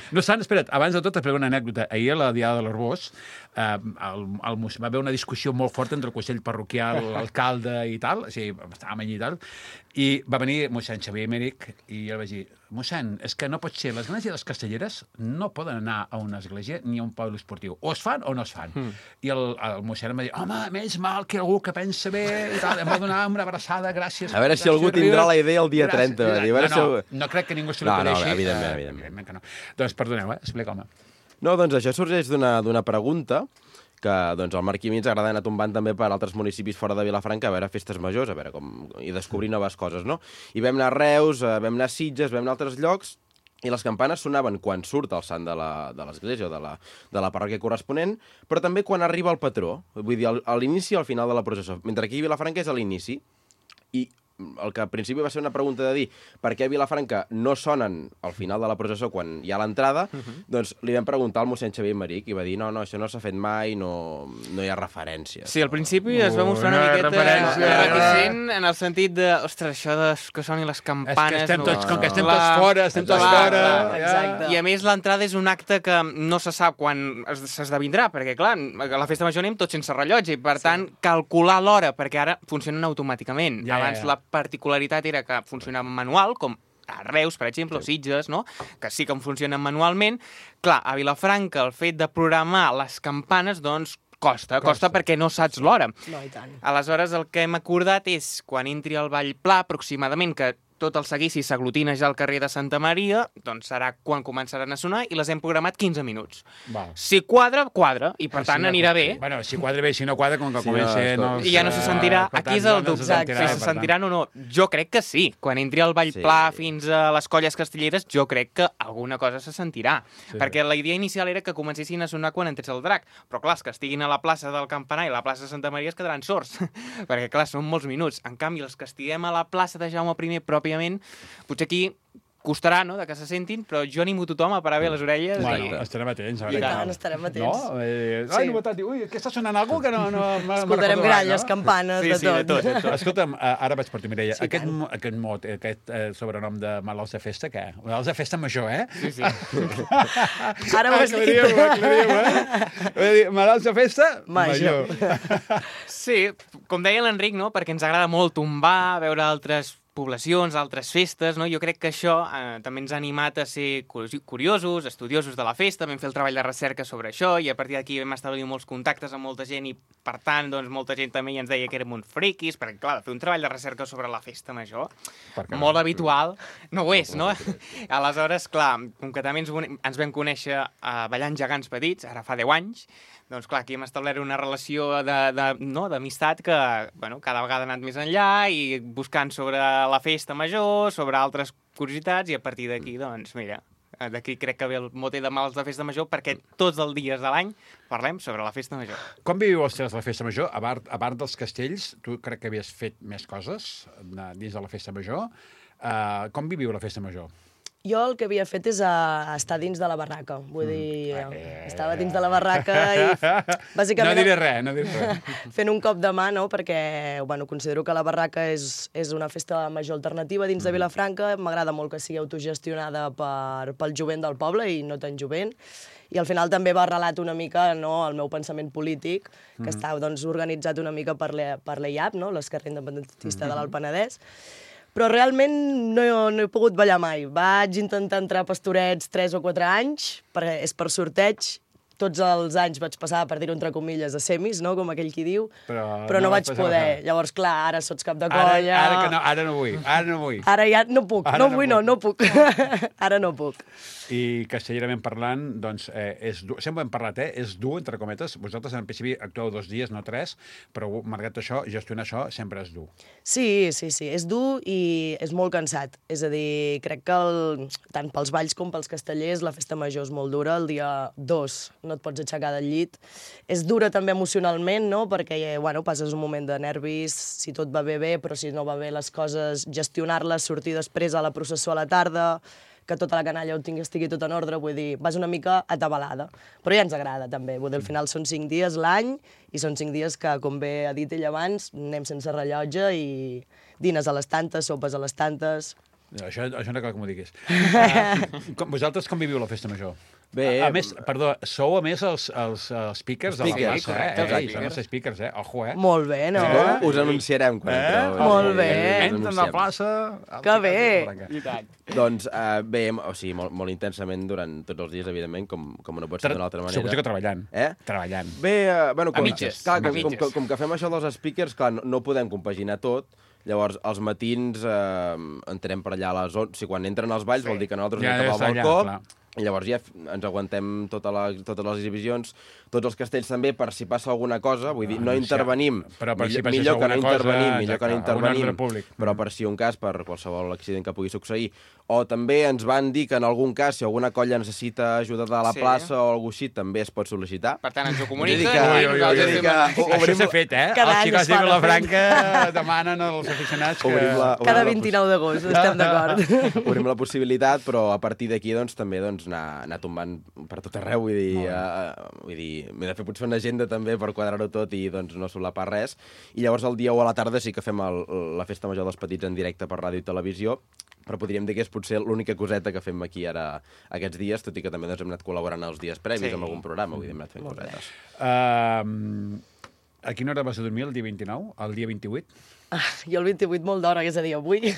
No obstant, espera't, abans de tot explico una anècdota. Ahir a la Diada de l'Arbós va haver una discussió molt forta entre el Consell Parroquial, l'alcalde i tal, o sigui, estàvem allí i tal, i va venir mossèn Xavier Emèrich i jo vaig dir, mossèn, és que no pot ser, les esglésies castelleres no poden anar a una església ni a un poble esportiu. O es fan o no es fan. I el mossèn em va dir, home, menys mal que algú que pensa bé i tal, em va donar una abraçada, gràcies. A veure si algú tindrà la idea el dia 30. No crec que ningú se l'ofereixi. No, evidentment. Que no. Doncs perdoneu, explica-me. No, doncs això sorgeix d'una pregunta que doncs, el Marc i a mi ens agrada anar tombant també per altres municipis fora de Vilafranca a veure festes majors, a veure i descobrir noves coses, no? I vam anar a Reus, vam anar a Sitges, vam anar a altres llocs, i les campanes sonaven quan surt el sant de l'església o de la parròquia corresponent, però també quan arriba el patró, vull dir, a l'inici i al final de la processó. Mentre aquí a Vilafranca és a l'inici, i el que al principi va ser una pregunta de dir per què a Vilafranca no sonen al final de la processó quan hi ha l'entrada, doncs li vam preguntar al mossèn Xavier Emèrich i va dir no, això no s'ha fet mai, no hi ha referències. Sí, al principi es va mostrar una miqueta reticent en el sentit de, ostres, això que sonin les campanes... Com que estem tots fora, Exacte. I a més l'entrada és un acte que no se sap quan s'esdevindrà, perquè clar, a la festa major anem tots sense rellotge i per tant calcular l'hora, perquè ara funcionen automàticament. Abans la particularitat era que funcionava manual, com a Reus, per exemple, o Sitges, no?, que sí que funcionen manualment. Clar, a Vilafranca el fet de programar les campanes, doncs, costa perquè no saps l'hora. No, i tant. Aleshores, el que hem acordat és, quan entri el Ball Pla, aproximadament, que tot el seguici s'aglutina ja al carrer de Santa Maria, doncs serà quan començaran a sonar i les hem programat 15 minuts. Si quadra, i per tant anirà bé. Bueno, si quadra bé, si no quadra, com que comença... I ja no se sentirà. Aquí és el dubte, si se sentiran o no. Jo crec que sí. Quan entri el Ball Pla fins a les colles castelleres, jo crec que alguna cosa se sentirà. Perquè la idea inicial era que comencessin a sonar quan entrés el drac. Però clar, els que estiguin a la plaça del Campanar i a la plaça de Santa Maria es quedaran sords. Perquè clar, són molts minuts. En canvi, els que estiguem a la plaça de Jaume I pròpiament, potser aquí costarà, no?, de que se sentin, però jo animo tothom a parar bé les orelles. Bueno, estarem atents. I tant, estarem atents. No? Ai, novetat, ui, que està sonant alguna cosa que no escoltarem gralles, campanes, de tot. Escolta'm, ara vaig per tu, Mireia. Aquest mot, aquest sobrenom de malalts de festa, què? Malalts de festa major, Sí. Ara ho has dit. Aclariu. Malalts de festa major. Sí, com deia l'Enric, no?, perquè ens agrada molt tombar, veure altres poblacions, altres festes, no? Jo crec que això també ens ha animat a ser curiosos, estudiosos de la festa, vam fer el treball de recerca sobre això i a partir d'aquí vam establir molts contactes amb molta gent i, per tant, doncs, molta gent també ens deia que érem uns friquis, perquè, clar, fer un treball de recerca sobre la festa major, molt habitual, no ho és, no? Aleshores, clar, com que també ens vam conèixer ballant gegants petits, ara fa 10 anys, doncs clar, aquí hem establert una relació d'amistat que, bueno, cada vegada ha anat més enllà i buscant sobre la festa major, sobre altres curiositats i a partir d'aquí, doncs, mira, d'aquí crec que ve el mote de mals de festa major perquè tots els dies de l'any parlem sobre la festa major. Com viviu els tres la festa major? A part dels castells, tu crec que havies fet més coses dins de la festa major. Com viviu la festa major? Jo el que havia fet és estar dins de la barraca. Vull dir, estava dins de la barraca i bàsicament... No diré res. Fent un cop de mà, no? Perquè considero que la barraca és una festa major alternativa dins de Vilafranca. M'agrada molt que sigui autogestionada pel jovent del poble i no tan jovent. I al final també va relat una mica el meu pensament polític, que està organitzat una mica per l'EIAP, l'Esquerra Independentista de l'Alt Penedès. Però realment no he pogut ballar mai. Vaig intentar entrar a Pastorets 3 o 4 anys, és per sorteig. Tots els anys vaig passar, per dir-ho entre comilles, a semis, no? Com aquell qui diu, però no vaig poder. Llavors, clar, ara sots cap de colla... Ara no vull. Ara ja no puc. No puc. Ara no puc. I castellerament parlant, doncs, sempre hem parlat, és dur, entre cometes. Vosaltres, en principi, actueu 2 dies, no 3, però, malgrat això, gestionar això sempre és dur. Sí, és dur i és molt cansat. És a dir, crec que tant pels balls com pels castellers la festa major és molt dura. El dia 2 no et pots aixecar del llit. És dura també emocionalment, no? Perquè, passes un moment de nervis, si tot va bé, però si no va bé les coses, gestionar-les, sortir després a la processó a la tarda, que tota la canalla estigui tot en ordre, vull dir, vas una mica atabalada. Però ja ens agrada, també. Vull dir, al final són 5 dies l'any, i són 5 dies que, com bé ha dit ell abans, anem sense rellotge i dines a les tantes, sopes a les tantes... Això no cal que m'ho diguis. Vosaltres com viviu la festa major? Bé... A més, perdó, sou a més els speakers de la plaça, Són els speakers, Ojo, Molt bé, no? Us anunciarem quan entreu. Molt bé. Entren a la plaça... Que bé! I tant. Doncs bé, molt intensament durant tots els dies, evidentment, com no pot ser d'una altra manera. Suposo que treballant. Treballant. Bé, a mitges. Com que fem això dels speakers, clar, no podem compaginar tot. Llavors, als matins entrem per allà a les 11. Si quan entren els balls vol dir que nosaltres anem cap al balcó. I llavors ja ens aguantem totes les exhibicions, tots els castells també, per si passa alguna cosa, vull dir, no intervenim. Però per si millor que no intervenim, públic. però per si un cas, per qualsevol accident que pugui succeir. O també ens van dir que en algun cas, si alguna colla necessita ajuda de la plaça o alguna cosa així, també es pot sol·licitar. Per tant, ens ho comuniquen. Això s'ha fet, Els xicots de Vilafranca demanen als aficionats que... Cada 29 d'agost, estem d'acord. Obrim la possibilitat, però a partir d'aquí també anar tombant per tot arreu, vull dir, m'he de fer potser una agenda també per quadrar-ho tot i no solapar res. I llavors el dia 1 a la tarda sí que fem la festa major dels petits en directe per ràdio i televisió, però podríem dir que és potser l'única coseta que fem aquí ara aquests dies, tot i que també hem anat col·laborant els dies previs amb algun programa, vull dir, hem anat fent cosetes. A quina hora vas a dormir el dia 29? El dia 28? Jo el 28 molt d'hora, és a dir, avui.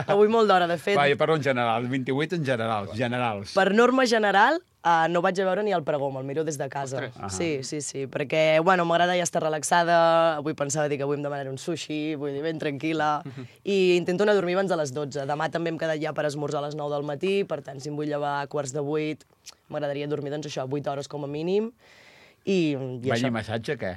Avui molt d'hora, de fet. Jo parlo en general, el 28 en generals. Per norma general, no vaig a veure ni el pregó, me'l miro des de casa. Sí, perquè, m'agrada ja estar relaxada, avui pensava dir que avui em demanaré un sushi, vull dir, ben tranquil·la, i intento anar a dormir abans de les 12. Demà també hem quedat ja per esmorzar a les 9 del matí, per tant, si em vull llevar a 7:45, m'agradaria dormir, 8 hores com a mínim. Ball i massatge, què?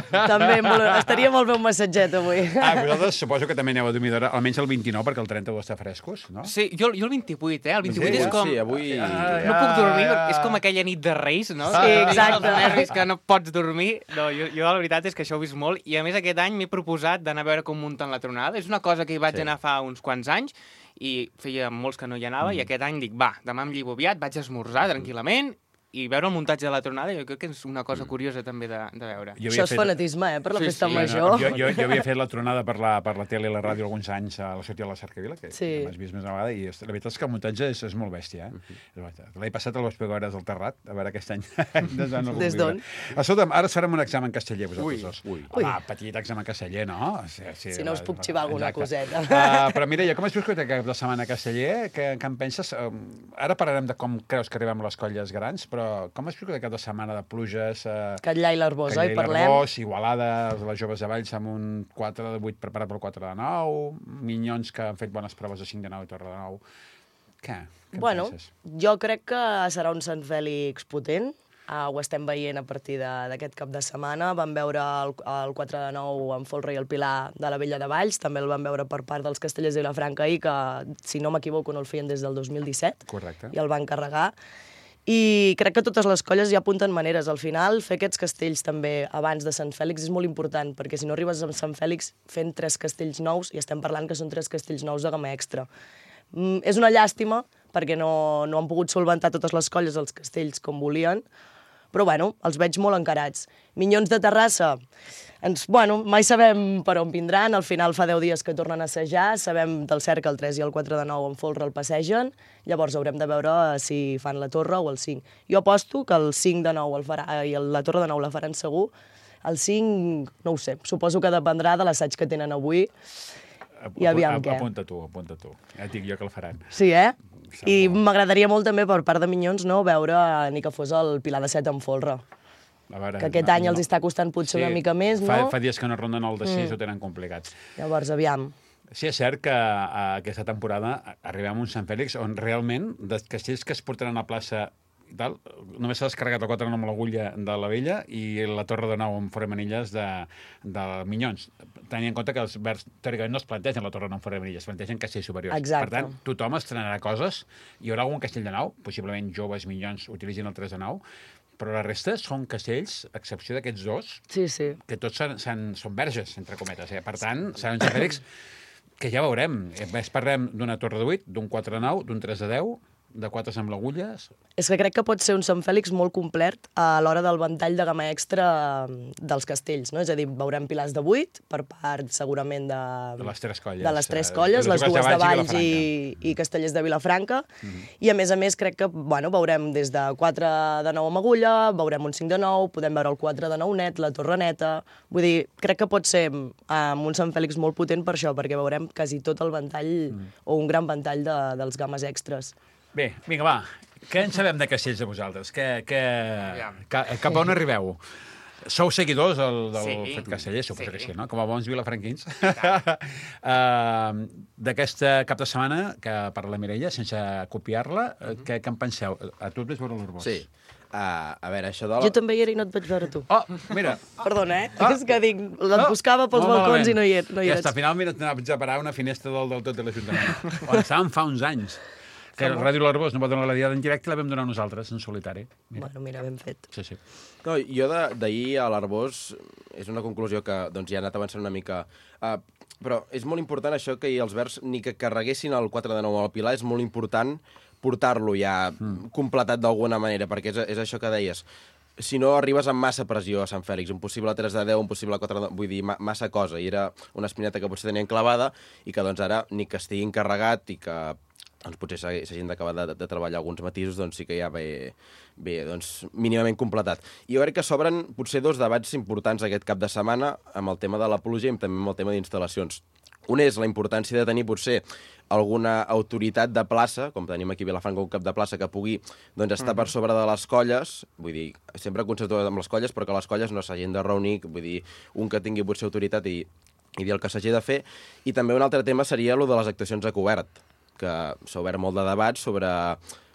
També estaria molt bé un massatget avui. Vosaltres suposo que també aneu a dormir d'hora, almenys el 29, perquè el 30 està frescos, no? Sí, jo el 28, El 28 és com... Sí, avui... No puc dormir, és com aquella nit de Reis, no? Sí, exacte. Els nervis que no pots dormir. No, jo la veritat és que això ho he vist molt, i a més aquest any m'he proposat d'anar a veure com munten la tronada. És una cosa que hi vaig anar fa uns quants anys, i feia molts que no hi anava, i aquest any dic, demà em lligo aviat, vaig a esmorzar tranquil·lament, i veure el muntatge de la tronada jo crec que és una cosa curiosa també de veure. Això és fanatisme, per la festa major. Jo havia fet la tronada per la tele i la ràdio alguns anys a la sortida de la Cercavila, que m'has vist més una vegada, i la veritat és que el muntatge és molt bèstia. L'any passat el vaig pegar hores al Terrat, a veure aquest any. Des d'on? Escolta'm, ara farem un examen casteller, vosaltres dos. Petit examen casteller, no? Si no us puc xivar alguna coseta. Però Mireia, com has viscut aquest de setmana casteller? Què en penses? Ara parlarem de com creus que arribem a les colles grans, però com has viscut aquesta setmana de pluges? Catllà i l'Arbós, oi? Parlem? L'Arbós, Igualada, les joves de Valls amb un 4 de 8 preparat pel 4 de 9, Minyons que han fet bones proves de 5 de 9 i Torre de 9. Què en penses? Jo crec que serà un Sant Fèlix potent. Ho estem veient a partir d'aquest cap de setmana. Vam veure el 4 de 9 amb Folre i el Pilar de la Vella de Valls. També el vam veure per part dels Castellers de Vilafranca ahir, que, si no m'equivoco, no el feien des del 2017. Correcte. I el van carregar. I crec que totes les colles ja apunten maneres. Al final, fer aquests castells també abans de Sant Fèlix és molt important, perquè si no arribes a Sant Fèlix fent 3 castells nous, i estem parlant que són 3 castells nous de gamma extra. És una llàstima, perquè no han pogut solventar totes les colles als castells com volien, però bueno, els veig molt encarats. Minyons de Terrassa, mai sabem per on vindran, al final fa 10 dies que tornen a assajar, sabem del cert que el 3 i el 4 de 9 en folre el passegen, llavors haurem de veure si fan la torre o el 5. Jo aposto que el 5 de 9 el farà, i la torre de 9 la faran segur, el 5 no ho sé, suposo que dependrà de l'assaig que tenen avui, i aviam què. Apunta tu. Ja et dic jo que el faran. Sí, I m'agradaria molt també, per part de Minyons, veure ni que fos el Pilar de 7 en folre. Que aquest any els està costant potser una mica més, no? Fa dies que no ronden el de 6, ho tenen complicat. Llavors, aviam. Sí, és cert que aquesta temporada arribem a un Sant Fèlix on realment, dels castells que es portaran a plaça i tal, només s'ha descarregat el 4 amb l'agulla de la Vella i la Torre de 9 amb foramanilles de Minyons. Tenint en compte que els verds, teòricament, no es plantegen la Torre de 9 amb foramanilles, es plantegen castells superiors. Exacte. Per tant, tothom estrenarà coses. Hi haurà algun castell de 9, possiblement joves Minyons utilitzin el 3 de 9, però la resta són castells, a excepció d'aquests dos, que tots són verges, entre cometes. Per tant, serà un Sant Fèlix que ja veurem. Més parlem d'una torre de 8, d'un 4 de 9, d'un 3 de 10, de 4 amb l'agulles. És que crec que pot ser un Sant Fèlix molt complet a l'hora del ventall de gamma extra dels castells, no? És a dir, veurem pilars de 8 per part, segurament, de les 3 colles. De les 3 colles, les dues de Valls i Castellers de Vilafranca. I, a més, crec que veurem des de 4 de 9 amb agulla, veurem un 5 de 9, podem veure el 4 de 9 net, la torre neta. Vull dir, crec que pot ser un Sant Fèlix molt potent per això, perquè veurem quasi tot el ventall, o un gran ventall dels gammes extres. Bé, vinga, va. Què en sabem de castells de vosaltres? Cap on arribeu? Sou seguidors del fet casteller, suposo que sí, no? Com a bons vilafranquins. D'aquesta cap de setmana, que per la Mireia, sense copiar-la, què en penseu? A tu et vaig veure l'Arbós. Sí. A veure, això de la... Jo també hi era i no et vaig veure tu. Oh, mira. Perdona, És que dic, et buscava pels balcons i no hi eres. Ja està, finalment et vaig a parar una finestra del tot de l'Ajuntament. On estàvem fa uns anys. Que el Ràdio L'Arbós no va donar la diada en directe, la vam donar nosaltres, en solitari. Mira, ben fet. Sí. No, jo d'ahir a l'Arbós és una conclusió que ja ha anat avançant una mica. Però és molt important això que els verds ni que carreguessin el 4 de 9 al Pilar, és molt important portar-lo ja completat d'alguna manera, perquè és això que deies. Si no, arribes amb massa pressió a Sant Fèlix, un possible 3 de 10, un possible 4 de 9, vull dir, massa cosa. I era una espineta que potser tenien clavada i que ara ni que estigui encarregat i que potser s'hagin d'acabar de treballar alguns matisos, doncs sí que ja ve mínimament completat. I jo crec que s'obren potser 2 debats importants aquest cap de setmana amb el tema de la pluja i també amb el tema d'instal·lacions. Un és la importància de tenir potser alguna autoritat de plaça, com tenim aquí a Vilafranca un cap de plaça, que pugui estar per sobre de les colles, vull dir, sempre concentrats amb les colles, però que les colles no s'hagin de reunir, vull dir, un que tingui potser autoritat i dir el que s'hagi de fer. I també un altre tema seria el de les actuacions a cobert, que s'ha obert molt de debat sobre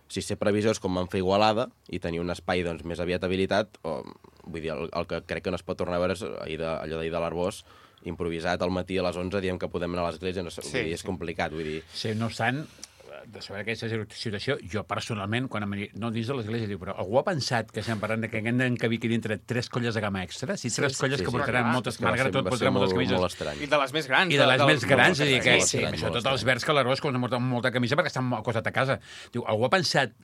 si ser previsors com van fer Igualada i tenir un espai més aviat habilitat, o vull dir, el que crec que no es pot tornar a veure és allò d'ahir de l'Arbós, improvisat al matí a les 11, diem que podem anar a l'església, és complicat, vull dir... Sí, no obstant, de saber aquesta situació, jo personalment, no dins de l'església, diu, però algú ha pensat que estem parlant que hem d'encabir aquí dintre 3 colles de gamma extra? Si 3 colles que portaran moltes, malgrat tot, portaran moltes camises. I de les més grans. I de les més grans, és a dir que, sobretot els verds que l'Arbós, com porten molta camisa perquè estan acostat a casa. Diu, algú ha pensat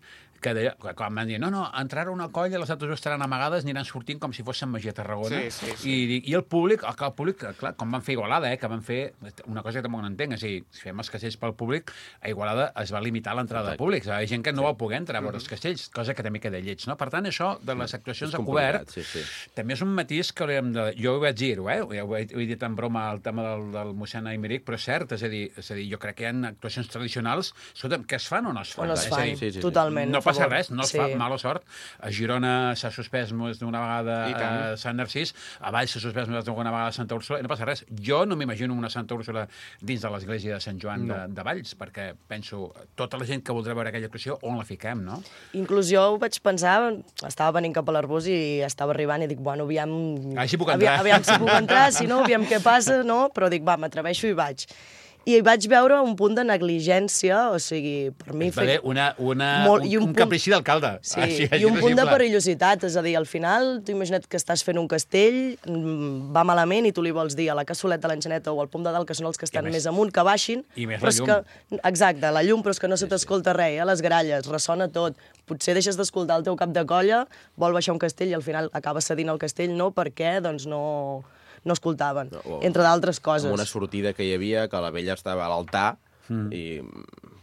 que quan van dir, no, entrarà una colla, les altres estaran amagades, aniran sortint com si fossin Magia Tarragona. I el públic, clar, com van fer Igualada, que van fer una cosa que tampoc no entenc, és a dir, si fem els castells pel públic, a Igualada es va limitar l'entrada de públic. Hi ha gent que no va poder entrar a veure els castells, cosa que també queda lleig, no? Per tant, això de les actuacions a cobert també és un matís que hauríem de... Jo ho vaig dir-ho, ho he dit en broma el tema del mossèn Aymeric, però és cert, és a dir, jo crec que hi ha actuacions tradicionals, escolta'm, que es fan o no es fan? O no es fan, totalment. No passa res, no es fa mala sort. A Girona s'ha suspès més d'una vegada a Sant Narcís, a Valls s'ha suspès més d'una vegada a Santa Úrsula, i no passa res. Jo no m'imagino una Santa Úrsula dins de l'església de Sant Joan de Valls, perquè penso, tota la gent que voldrà veure aquella actuació, on la fiquem, no? Inclús jo ho vaig pensar, estava venint cap a l'Arbós i estava arribant i dic, bueno, aviam si puc entrar, si no, aviam què passa, no? Però dic, va, m'atreveixo i vaig. I vaig veure un punt de negligència, o sigui, per mi... Va haver un caprici d'alcalde. Sí, i un punt de perillositat, és a dir, al final, tu imagina't que estàs fent un castell, va malament i tu li vols dir a la cassoleta, a l'enxaneta o al pom de dalt, que són els que estan més amunt, que baixin. I més la llum. Exacte, la llum, però és que no se t'escolta res, a les gralles, ressona tot. Potser deixes d'escoltar el teu cap de colla, vol baixar un castell i al final acaba cedint el castell, no? Perquè, doncs, no escoltaven, entre d'altres coses. Amb una sortida que hi havia, que la vella estava a l'altar, i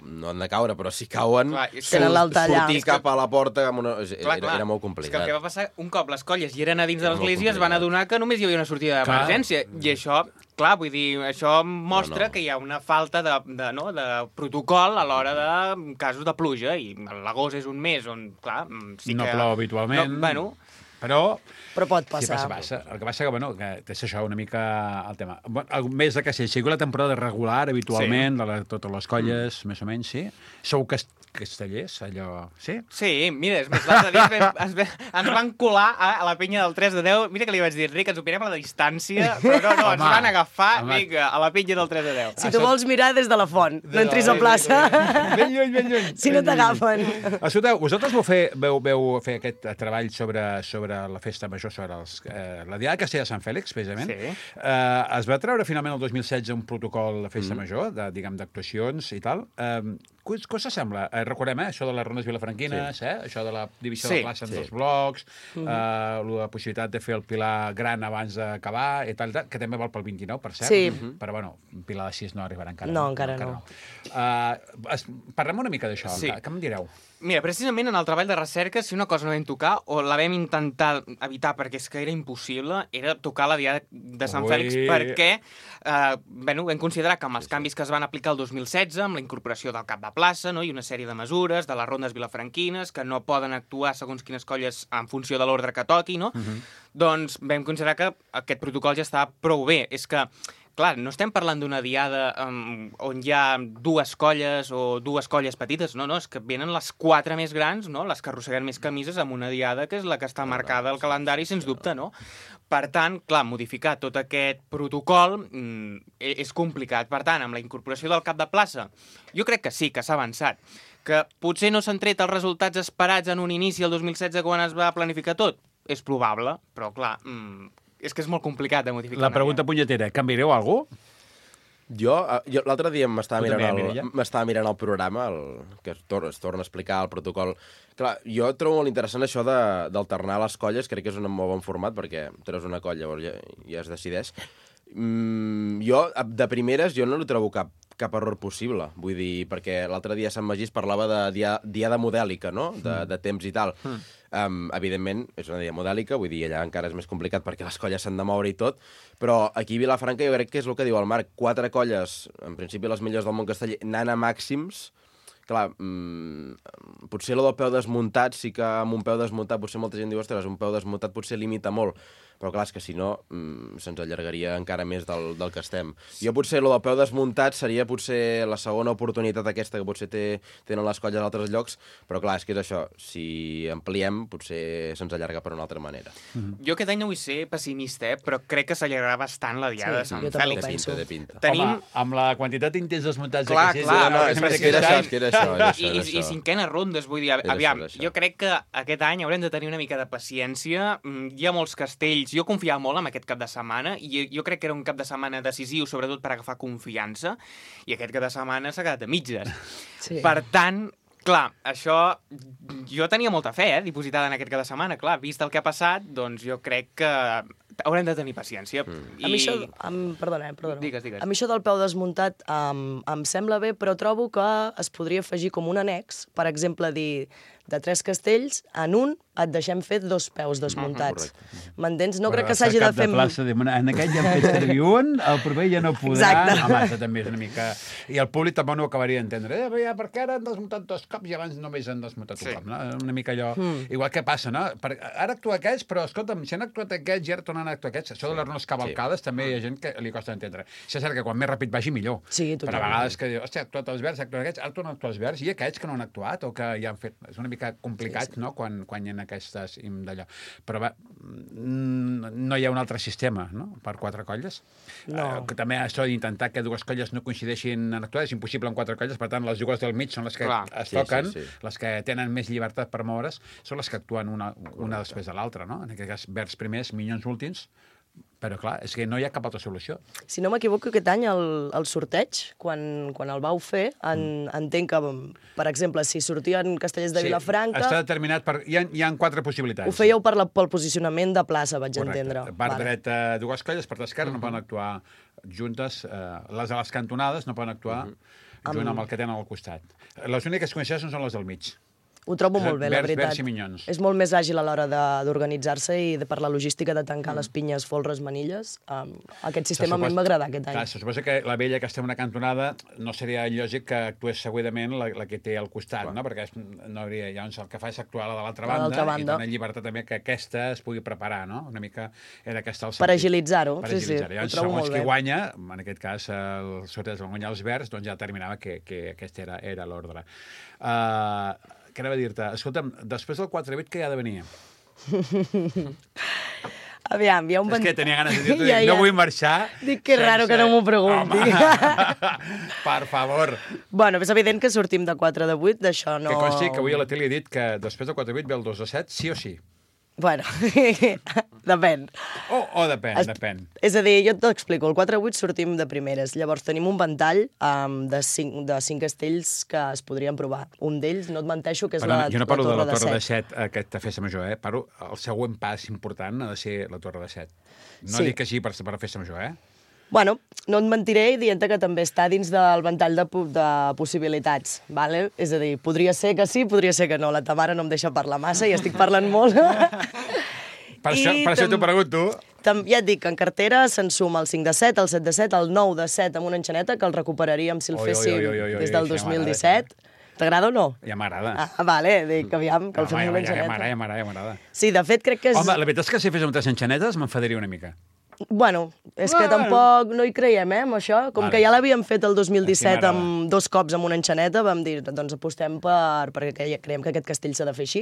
no han de caure, però si cauen, sortir cap a la porta era molt complicat. És que el que va passar, un cop les colles hi eren a dins de l'església, es van adonar que només hi havia una sortida d'emergència. I això, clar, vull dir, això mostra que hi ha una falta de protocol a l'hora de casos de pluja, i l'agost és un mes on, clar, sí que... No plou habitualment. Bueno, però pot passar. Sí, passa. El que passa que és això una mica el tema. El mes de castell, sigui la temporada regular, habitualment, de totes les colles, més o menys, sí? Sou castellers, allò... Sí? Sí, mira, és més, l'altre dia ens van colar a la penya del 3 de 10. Mira que li vaig dir, Enric, ens opinem a la distància, però no, ens van agafar, vinga, a la penya del 3 de 10. Si tu vols mirar des de la font, no entris a plaça. Ben lluny. Si no t'agafen. Escolteu, vosaltres veu fer aquest treball sobre la festa major, sobre la Diada de Castell de Sant Fèlix, precisament. Sí. Es va treure finalment el 2016 un protocol de festa major, d'actuacions i tal. Què us sembla? Recordem, això de les rondes vilafranquines, això de la divisió de plaça en dos blocs, la possibilitat de fer el Pilar gran abans d'acabar, i tal, que també val pel 29, per cert. Sí. Però, bueno, Pilar de 6 no arribarà encara. No, encara no. Parlem una mica d'això. Sí. Què em direu? Mira, precisament en el treball de recerca, si una cosa no vam tocar, o la vam intentar evitar perquè és que era impossible, era tocar la Diada de Sant Fèlix, perquè vam considerar que amb els canvis que es van aplicar el 2016, amb la incorporació del cap de plaça, no, i una sèrie de mesures, de les rondes vilafranquines, que no poden actuar segons quines colles en funció de l'ordre que toqui, no? Doncs vam considerar que aquest protocol ja estava prou bé. És que, clar, no estem parlant d'una diada on hi ha dues colles o dues colles petites, no, és que venen les 4 més grans, no, les que arrosseguen més camises amb una diada que és la que està marcada al calendari, sens dubte, no? Per tant, clar, modificar tot aquest protocol és complicat. Per tant, amb la incorporació del cap de plaça, jo crec que sí, que s'ha avançat. Que potser no s'han tret els resultats esperats en un inici, el 2016, quan es va planificar tot? És probable, però, clar, és que és molt complicat de modificar. La pregunta punyetera, canviareu alguna cosa? Jo l'altre dia m'estava mirant el programa, que es torna a explicar el protocol. Clar, jo trobo molt interessant això d'alternar les colles, crec que és un molt bon format, perquè treus una colla, ja es decideix. Jo, de primeres, jo no li trobo cap error possible. Vull dir, perquè l'altre dia Sant Magí es parlava de diada modèlica, no?, de temps i tal. Evidentment, és una diada modèlica, vull dir, allà encara és més complicat perquè les colles s'han de moure i tot, però aquí a Vilafranca jo crec que és el que diu el Marc, 4 colles, en principi les millors del món casteller, anant a màxims. Clar, potser lo del peu desmuntat, sí que amb un peu desmuntat potser molta gent diu, ostres, un peu desmuntat potser limita molt, però clar, és que si no se'ns allargaria encara més del que estem. Jo potser lo del peu desmuntat seria potser la segona oportunitat aquesta que potser tenen les colles a altres llocs, però clar, és que és això, si ampliem potser se'ns allarga per una altra manera. Jo aquest any no vull ser pessimista, però crec que s'allargarà bastant la Diada de Sant Fèlix. De pinta. Tenim... Home, amb la quantitat d'intents desmuntats clar, de clar, I cinquenes rondes, vull dir, aviam, jo crec que aquest any haurem de tenir una mica de paciència, hi ha molts castells, jo confiava molt en aquest cap de setmana, i jo crec que era un cap de setmana decisiu, sobretot per agafar confiança, i aquest cap de setmana s'ha quedat a mitges. Sí. Per tant, clar, això... Jo tenia molta fe, dipositada en aquest cap de setmana, clar, vist el que ha passat, doncs jo crec que haurem de tenir paciència. A mi això... Perdona. Digues. A mi això del peu desmuntat em sembla bé, però trobo que es podria afegir com un annex, per exemple, dir de 3 castells, en un et deixem fer 2 peus desmuntats. M'entens? No crec que s'hagi de fer... En aquest ja hem fet servir un, el proper ja no podrà... Exacte. Home, això també és una mica... I el públic tampoc no ho acabaria d'entendre. Perquè ara han desmuntat 2 cops i abans només han desmuntat un cop. No? Una mica allò... Igual que passa, no? Ara actua aquests, però, escolta'm, si han actuat aquests i ara tornen a actuar aquests. Això de les runes cavalcades també hi ha gent que li costa entendre. Això és cert que quan més ràpid vagi, millor. Sí, totalment. Però a vegades que diu, hòstia, ha actuat els verds, ha actuat aquests, ara tornen a actuar els verds, i aquests que no han actuat o que ja han fet... És una mica mica complicat, no?, quan hi ha aquestes d'allò. Però no hi ha un altre sistema, no?, per 4 colles. No. També això d'intentar que 2 colles no coincideixin en actuar és impossible en 4 colles, per tant, les 2 del mig són les que es toquen, les que tenen més llibertat per moure's, són les que actuen una després de l'altra, no? En aquest cas, verds primers, minyons últims, però clar, és que no hi ha cap altra solució. Si no m'equivoco, aquest any el sorteig, quan el vau fer, entenc que, per exemple, si sortien Castellers de Vilafranca... Està determinat per... Hi ha 4 possibilitats. Ho fèieu pel posicionament de plaça, vaig entendre. Per dreta 2 colles, per l'esquerra no poden actuar juntes, les de les cantonades no poden actuar junt amb el que tenen al costat. Les úniques que coneixen són les del mig. Ho trobo molt bé, la veritat. Verds i minyons. És molt més àgil a l'hora d'organitzar-se i per la logística de tancar les pinyes, folres, manilles. Aquest sistema a mi m'agrada aquest any. Clar, se suposa que la vella que està en una cantonada no seria lògic que actués segurament la que té al costat, no? Perquè no hauria... Llavors el que fa és actuar la de l'altra banda i donar llibertat també que aquesta es pugui preparar, no? Una mica era aquesta el sentit. Per agilitzar-ho, sí. Llavors, segons qui guanya, en aquest cas el sorteig van guanyar els verds, doncs ja determinava que aquest era l'ordre. Què anava a dir-te? Escolta'm, després del 4-8, què hi ha de venir? Aviam, hi ha un... És que tenia ganes de dir-t'ho, no vull marxar... Dic que raro que no m'ho pregunti. Per favor. Bueno, és evident que sortim de 4-8, d'això no... Que consti que avui a la tele he dit que després del 4-8 ve el 2-7, sí o sí. Bueno, depèn. Depèn. És a dir, jo t'explico, el 4-8 sortim de primeres, llavors tenim un ventall de 5 castells que es podrien provar. Un d'ells, no et menteixo, que és la Torre de 7. Jo no parlo de la Torre de 7, aquesta festa major, parlo, el següent pas important ha de ser la Torre de 7. No dic que sí per la festa major, Bueno, no et mentiré dient que també està dins del ventall de possibilitats, ¿vale? És a dir, podria ser que sí, podria ser que no. La Tamara no em deixa parlar massa i estic parlant molt. Per això t'ho pregunto. Ja et dic que en cartera se'n suma el 5 de 7, el 7 de 7, el 9 de 7 amb una enxaneta, que el recuperaríem si el féssim des del 2017. T'agrada o no? Ja m'agrada. Vale, dic, aviam, que el fem amb una enxaneta. Ja m'agrada. Sí, de fet, crec que és... Home, la veritat és que si fes amb 3 enxanetes m'enfadaria una mica. Bueno, és que tampoc no hi creiem, amb això. Com que ja l'havíem fet el 2017 amb 2 cops amb una enxaneta, vam dir, doncs apostem perquè creiem que aquest castell s'ha de fer així.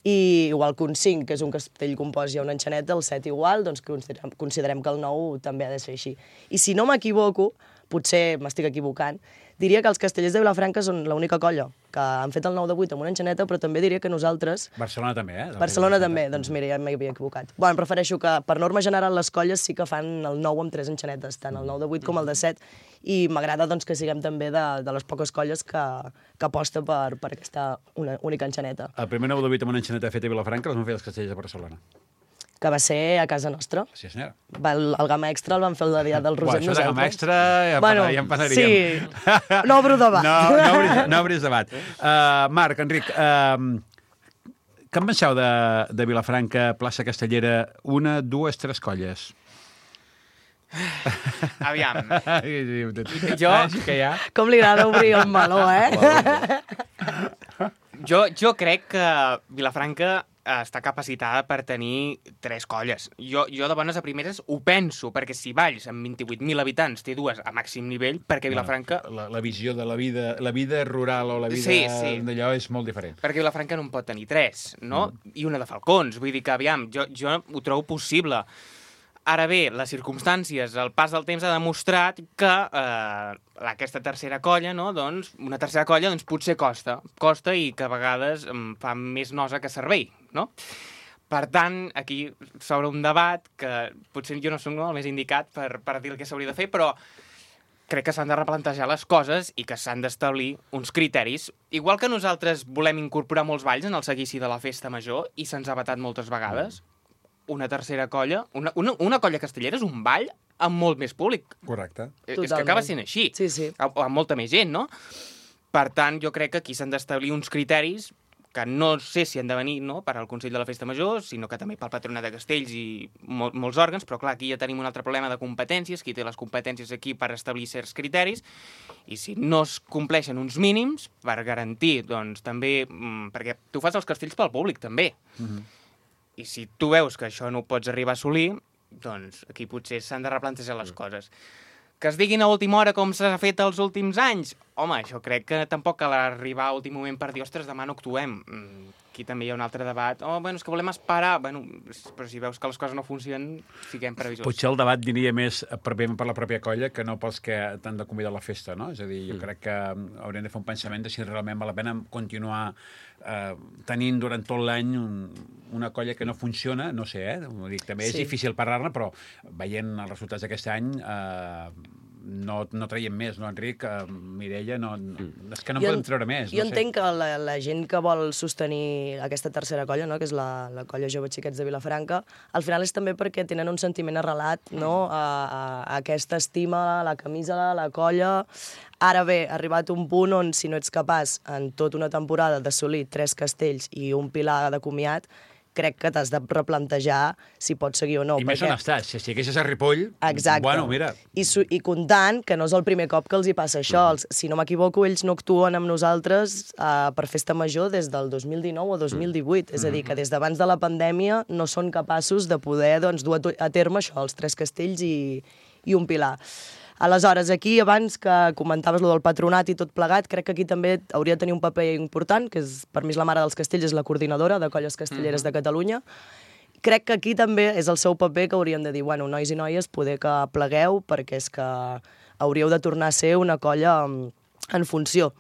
I igual que un 5, que és un castell compost i una enxaneta, el 7 igual, doncs considerem que el 9 també ha de ser així. I si no m'equivoco, potser m'estic equivocant, diria que els Castellers de Vilafranca són l'única colla que han fet el 9 de 8 amb una enxaneta, però també diria que nosaltres... Barcelona també, Barcelona també, doncs mira, ja m'havia equivocat. Bueno, prefereixo que, per norma general, les colles sí que fan el 9 amb 3 enxanetes, tant el 9 de 8 com el de 7, i m'agrada doncs, que siguem també de les poques colles que aposta per aquesta única enxaneta. El primer 9 de 8 amb una enxaneta feta a Vilafranca els van fer els Castellers de Barcelona. Que va ser a casa nostra. Sí, senyora. El Gamma Extra el van fer el dia del Roser. Això de Gamma Extra ja en parlaríem. Sí, no obro debat. No obris debat. Marc, Enric, què en penseu de Vilafranca, plaça Castellera, 1, 2, 3 colles? Aviam. Jo... Com li agrada obrir el meló, Jo crec que Vilafranca està capacitada per tenir 3 colles. Jo de bones a primeres ho penso, perquè si Valls, amb 28.000 habitants, té 2 a màxim nivell, perquè Vilafranca... La visió de la vida rural o la vida d'allò és molt diferent. Perquè Vilafranca no en pot tenir 3, no? I una de Falcons. Vull dir que, aviam, jo ho trobo possible. Ara bé, les circumstàncies, el pas del temps ha demostrat que aquesta tercera colla, no, doncs, una tercera colla, doncs, potser costa i que a vegades fa més nosa que servei, no? Per tant, aquí s'obre un debat que potser jo no soc el més indicat per dir el que s'hauria de fer, però crec que s'han de replantejar les coses i que s'han d'establir uns criteris. Igual que nosaltres volem incorporar molts balls en el seguici de la festa major i se'ns ha vetat moltes vegades, una tercera colla, una colla castellera és un ball amb molt més públic. Correcte. És que acaba sent així. Sí. O amb molta més gent, no? Per tant, jo crec que aquí s'han d'establir uns criteris que no sé si han de venir per al Consell de la Festa Major, sinó que també pel Patronat de Castells i molts òrgans, però clar, aquí ja tenim un altre problema de competències, qui té les competències aquí per establir certs criteris, i si no es compleixen uns mínims, per garantir, doncs, també... Perquè tu fas els castells pel públic, també. I si tu veus que això no ho pots arribar a assolir, doncs aquí potser s'han de replantejar les coses. Que es diguin a última hora com s'ha fet els últims anys? Home, això crec que tampoc cal arribar a últim moment per dir, ostres, demà no actuem. Aquí també hi ha un altre debat. És que volem esperar. Però si veus que les coses no funcionen, siguem previsors. Potser el debat diria més per la pròpia colla que no pels que t'han de convidar a la festa, no? És a dir, jo crec que haurem de fer un pensament de si realment val la pena continuar tenint durant tot l'any una colla que no funciona, no sé, Dic, també és difícil parlar-ne, però veient els resultats d'aquest any no traiem més, no, Enric? Mireia, és que no en podem treure més. Jo entenc que la gent que vol sostenir aquesta tercera colla, no, que és la colla Joves Xiquets de Vilafranca, al final és també perquè tenen un sentiment arrelat, no, a aquesta estima, la camisa, la colla. Ara bé, ha arribat un punt on si no ets capaç en tota una temporada d'assolir 3 castells i un pilar de comiat, crec que t'has de replantejar si pots seguir o no. I més on estàs. Si haguessis a Ripoll, exacte. Bueno, mira... I comptant que no és el primer cop que els hi passa això. Si no m'equivoco, ells no actuen amb nosaltres per festa major des del 2019 o 2018. És a dir, que des d'abans de la pandèmia no són capaços de poder dur a terme això, els 3 castells i un pilar. Aleshores, aquí, abans que comentaves lo del patronat i tot plegat, crec que aquí també hauria de tenir un paper important, que per mi és la mare dels castells, és la coordinadora de colles castelleres de Catalunya. Crec que aquí també és el seu paper que haurien de dir, bueno, nois i noies, poder que plegueu, perquè és que hauríeu de tornar a ser una colla en funció.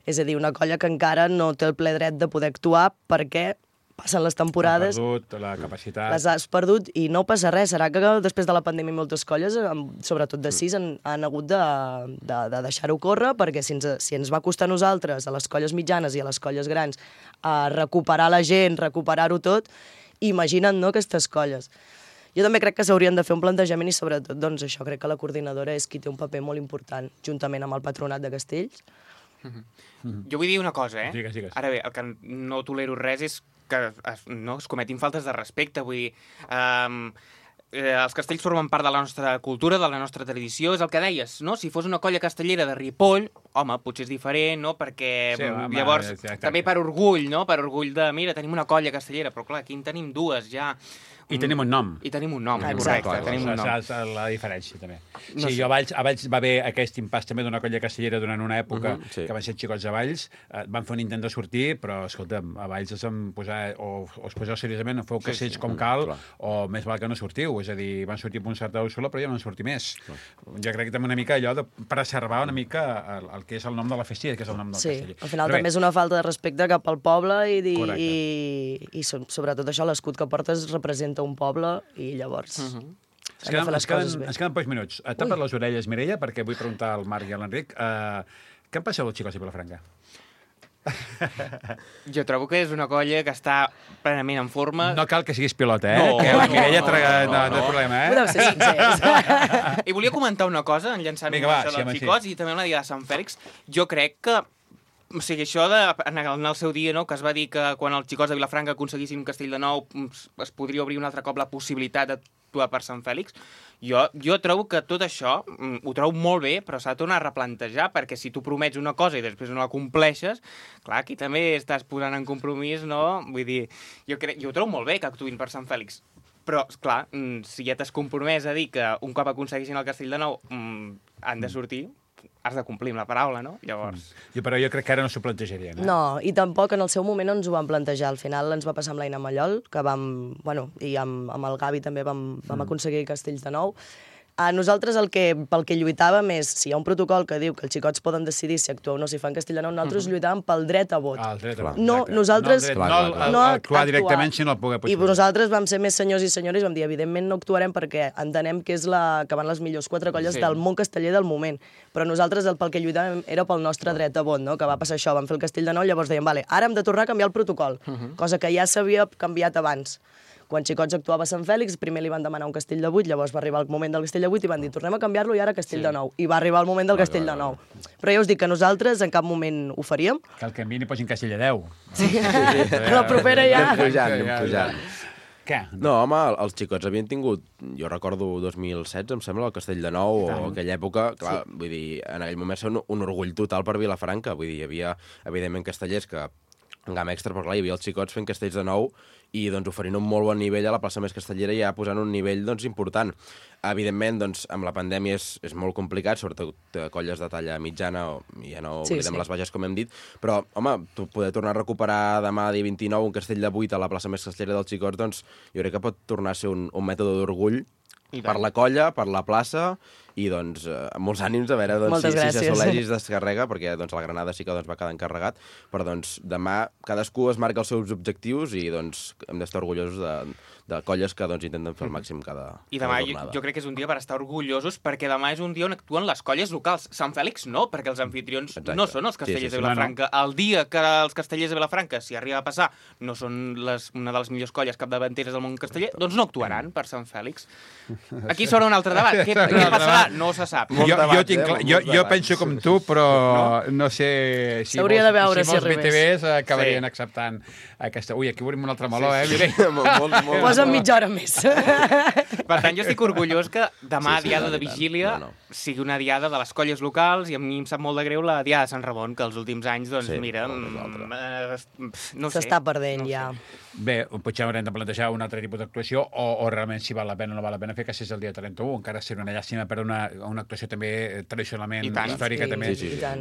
És a dir, una colla que encara no té el ple dret de poder actuar perquè passen les temporades... Has perdut la capacitat... Les has perdut i no passa res. Serà que després de la pandèmia moltes colles, sobretot de 6, han hagut de deixar-ho córrer, perquè si ens va costar a nosaltres, a les colles mitjanes i a les colles grans, recuperar la gent, recuperar-ho tot, imagina't, no, aquestes colles. Jo també crec que s'haurien de fer un plantejament i sobretot, doncs això, crec que la coordinadora és qui té un paper molt important, juntament amb el patronat de castells. Jo vull dir una cosa, Digues. Ara bé, el que no tolero res és que es cometin faltes de respecte, vull dir... els castells formen part de la nostra cultura, de la nostra tradició, és el que deies, no? Si fos una colla castellera de Ripoll, home, potser és diferent, no? Perquè llavors, també per orgull, no? Per orgull de, mira, tenim una colla castellera, però clar, aquí en tenim 2 ja... I tenim un nom. I tenim un nom, exacte, correcte. Tenim un nom. És la diferència, també. Sí, jo a Valls va haver aquest impàs també d'una colla castellera durant una època que van ser xicots a Valls, van fer un intent de sortir, però, escolta'm, a Valls es poseu seriosament, feu castells com cal, o més val que no sortiu. És a dir, van sortir per un cert sola, però ja no van sortir més. Jo crec que també una mica allò de preservar una mica el que és el nom de la festa, que és el nom del casteller. Sí, al final també és una falta de respecte cap al poble i sobretot això, l'escut que portes representa un poble i llavors... Ens queden pocs minuts. Tapa't les orelles, Mireia, perquè vull preguntar al Marc i a l'Enric què en passeu dels xicots de Vilafranca? Jo trobo que és una colla que està plenament en forma. No cal que siguis pilota, que la Mireia no té problema, Podeu ser sincers. I volia comentar una cosa, enllaçant-me això dels xicots i també una dia de Sant Fèlix. Jo crec que o sigui, això en el seu dia, no, que es va dir que quan els xicots de Vilafranca aconseguissin un castell de nou es podria obrir un altre cop la possibilitat d'actuar per Sant Fèlix, jo trobo que tot això ho trobo molt bé, però s'ha de tornar a replantejar, perquè si tu promets una cosa i després no la compleixes, clar, aquí també estàs posant en compromís, no? Vull dir, jo ho trobo molt bé que actuïn per Sant Fèlix, però, clar, si ja t'has compromès a dir que un cop aconseguissin el castell de nou han de sortir, has de complir amb la paraula, no? Llavors... Però jo crec que ara no s'ho plantejarien. No, i tampoc en el seu moment no ens ho vam plantejar. Al final ens va passar amb l'Aina Mallol, que i amb el Gavi també vam aconseguir castells de nou. Nosaltres pel que lluitàvem és, si hi ha un protocol que diu que els xicots poden decidir si actuar o no, si fan castell de nou, nosaltres lluitàvem pel dret a vot. El dret a vot. No, nosaltres... No actuar directament, sinó el poder possible. I nosaltres vam ser més senyors i senyores i vam dir, evidentment no actuarem perquè entenem que és que van les millors 4 colles del món casteller del moment. Però nosaltres pel que lluitàvem era pel nostre dret a vot, no? Que va passar això, vam fer el castell de nou, llavors dèiem, vale, ara hem de tornar a canviar el protocol, cosa que ja s'havia canviat abans. Quan Xicots actuava a Sant Fèlix, primer li van demanar un castell de 8, llavors va arribar el moment del castell de 8 i van dir, tornem a canviar-lo i ara castell de 9. I va arribar el moment del castell de 9. Però ja us dic que nosaltres en cap moment ho faríem. Que el canviïn i posin castell de 10. Sí, la propera ja. Anem pujant. Què? No, home, els xicots havien tingut, jo recordo 2016, em sembla, el Castell de Nou, o aquella època, clar, vull dir, en aquell moment ser un orgull total per Vilafranca, vull dir, hi havia, evidentment, castellers que en gamma extra, però clar, hi havia els xicots fent castells de nou i doncs, oferint un molt bon nivell a la plaça més castellera i ja posant un nivell doncs, important. Evidentment, doncs, amb la pandèmia és molt complicat, sobretot colles de talla mitjana, ja no oblidem les baixes, com hem dit, però, home, poder tornar a recuperar demà, dia 29, un castell de 8 a la plaça més castellera dels xicots, doncs, jo crec que pot tornar a ser un mètode d'orgull per la colla, per la plaça, i doncs amb molts ànims a veure doncs, si s'assoleix i es descarrega, perquè doncs, la Granada sí que doncs, va quedar encarregat, però doncs, demà cadascú es marca els seus objectius i doncs, hem d'estar orgullosos de colles que doncs, intenten fer el màxim cada jornada. Jo crec que és un dia per estar orgullosos, perquè demà és un dia on actuen les colles locals. Sant Fèlix no, perquè els anfitrions no són els castellers de Vilafranca. El dia que els castellers de Vilafranca, si arriba a passar, no són una de les millors colles capdavanteres del món casteller, doncs no actuaran per Sant Fèlix. Aquí s'obre un altre debat. Què passarà? No se sap. Jo penso com tu, però no sé si molts BTVs acabarien acceptant aquesta... Ui, aquí obrim un altre meló, Posa'm mitja hora més. Per tant, jo estic orgullós que demà, diada de Vigília, sigui una diada de les colles locals, i a mi em sap molt de greu la diada de Sant Ramon, que els últims anys, doncs, mira, no sé. S'està perdent, ja. Bé, potser haurem de plantejar un altre tipus d'actuació o realment si val la pena o no val la pena fer, que si és el dia 31, encara serà una llàstima per una actuació també tradicionalment històrica, també,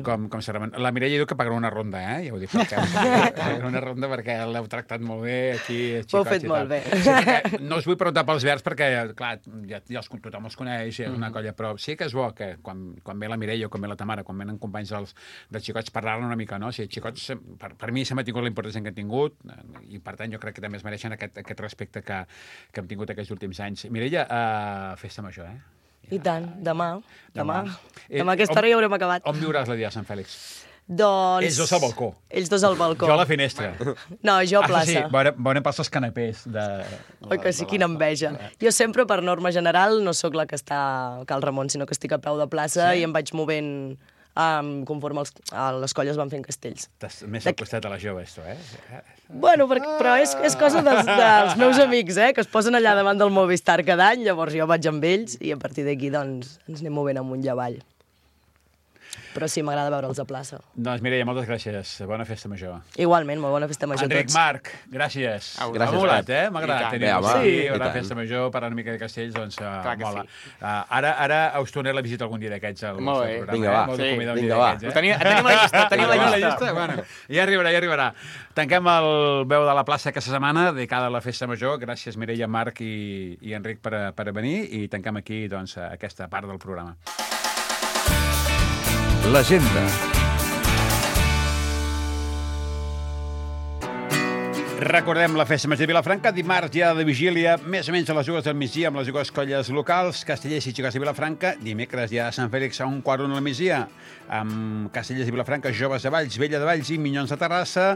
com Sant Ramon. La Mireia diu que pagarà una ronda, ja ho dic, pagarà una ronda perquè l'heu tractat molt bé aquí, xicots i tal. Ho heu fet molt bé. Sí, no us vull preguntar pels verds perquè, clar, tothom els coneix, és una colla, però sí que és bo que quan ve la Mireia o quan ve la Tamara, quan venen companys dels xicots, parlar-ne una mica, no? O sigui, xicots, per mi s'ha mantingut la importància que han tingut i, per tant, jo crec que també es mereixen aquest respecte que hem tingut aquests últims anys. Mireia, festa major, I tant, demà. Demà aquesta hora ja haurem acabat. On viuràs la dia de Sant Fèlix? Doncs... Ells dos al balcó. Ells dos al balcó. Jo a la finestra. No, jo a plaça. Sí, veurem pels els canapés. Oi que sí, quina enveja. Jo sempre, per norma general, no sóc la que està a Cal Ramon, sinó que estic a peu de plaça i em vaig movent conforme les colles van fent castells. Estàs més al costat de les joves, tu, Bueno, però és cosa dels meus amics, que es posen allà davant del Movistar cada any, llavors jo vaig amb ells i a partir d'aquí doncs ens anem movent amunt i avall. Però sí, m'agrada veure'ls a plaça. Doncs Mireia, moltes gràcies. Bona festa major. Igualment, molt bona festa major a tots. Enric, Marc, gràcies. Gràcies, molat, m'ha agradat tenir-vos aquí. Una festa major, parlar una mica de castells, doncs mola. Ara us tornaré la visita algun dia d'aquests al nostre programa. Vinga, va. Tenim la llista. Bueno, ja arribarà. Tanquem el Veu de la plaça aquesta setmana, dedicada a la festa major. Gràcies, Mireia, Marc i Enric per venir i tanquem aquí aquesta part del programa. L'agenda. Recordem la festa major de Vilafranca, dimarts, dia de Vigília, més o menys a les 2 del migdia amb les dues colles locals, Castellers i Xicots de Vilafranca, dimecres, dia de Sant Fèlix, a 1:15 del migdia, amb Castellers de Vilafranca, Joves de Valls, Vella de Valls i Minyons de Terrassa,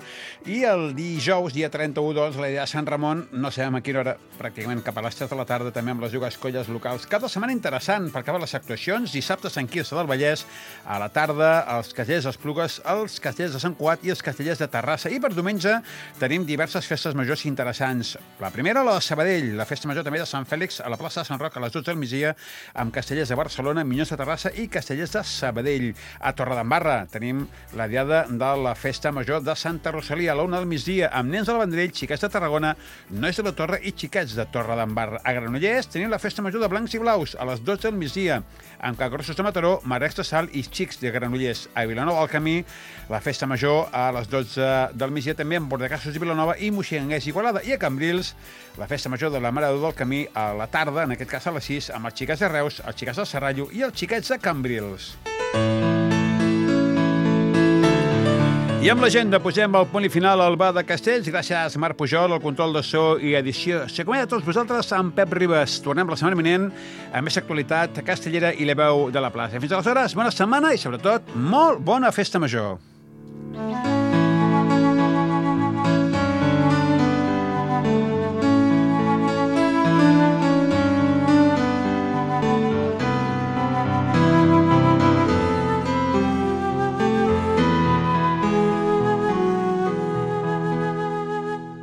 i el dijous, dia 31, doncs, la idea de Sant Ramon, no sabem a quina hora, pràcticament cap a les 3 de la tarda, també amb les dues colles locals. Cada setmana interessant per acabar les actuacions, dissabte Sant Quirze del Vallès, a la tarda, els Castellers d'Esplugues, els Castellers de Sant Cugat i els Castellers de Terrassa. I per diumenge tenim diverses festes majors interessants. La primera, la de Sabadell, la festa major també de Sant Fèlix, a la plaça de Sant Roc, a les 12 del migdia, amb Castellers de Barcelona, Minyons de Terrassa i Castellers de Sabadell. A Torredembarra tenim la diada de la festa major de Santa Rosalia, a la 1 del migdia, amb nens del Vendrell, xiquets de Tarragona, nois de la Torre i xiquets de Torredembarra. A Granollers tenim la festa major de Blancs i Blaus, a les 12 del migdia, amb Capgrossos de Mataró, Marecs de Sal i xics de Granollers. A Vilanova del Camí, la festa major a les 12 del migdia, també amb Bordecassos de Vilanova i Moixenguers i Igualada. I a Cambrils, la festa major de la Mare de Déu del Camí a la tarda, en aquest cas a les 6, amb els xiquets de Reus, els xiquets del Serrallo i els xiquets de Cambrils. I amb l'agenda posem el punt i final al Bar de Castells. Gràcies, Marc Pujol, el control de so i edició. S'acomiada a tots vosaltres amb Pep Ribes. Tornem la setmana vinent amb més actualitat castellera i la veu de la plaça. Fins aleshores, bona setmana i, sobretot, molt bona festa major.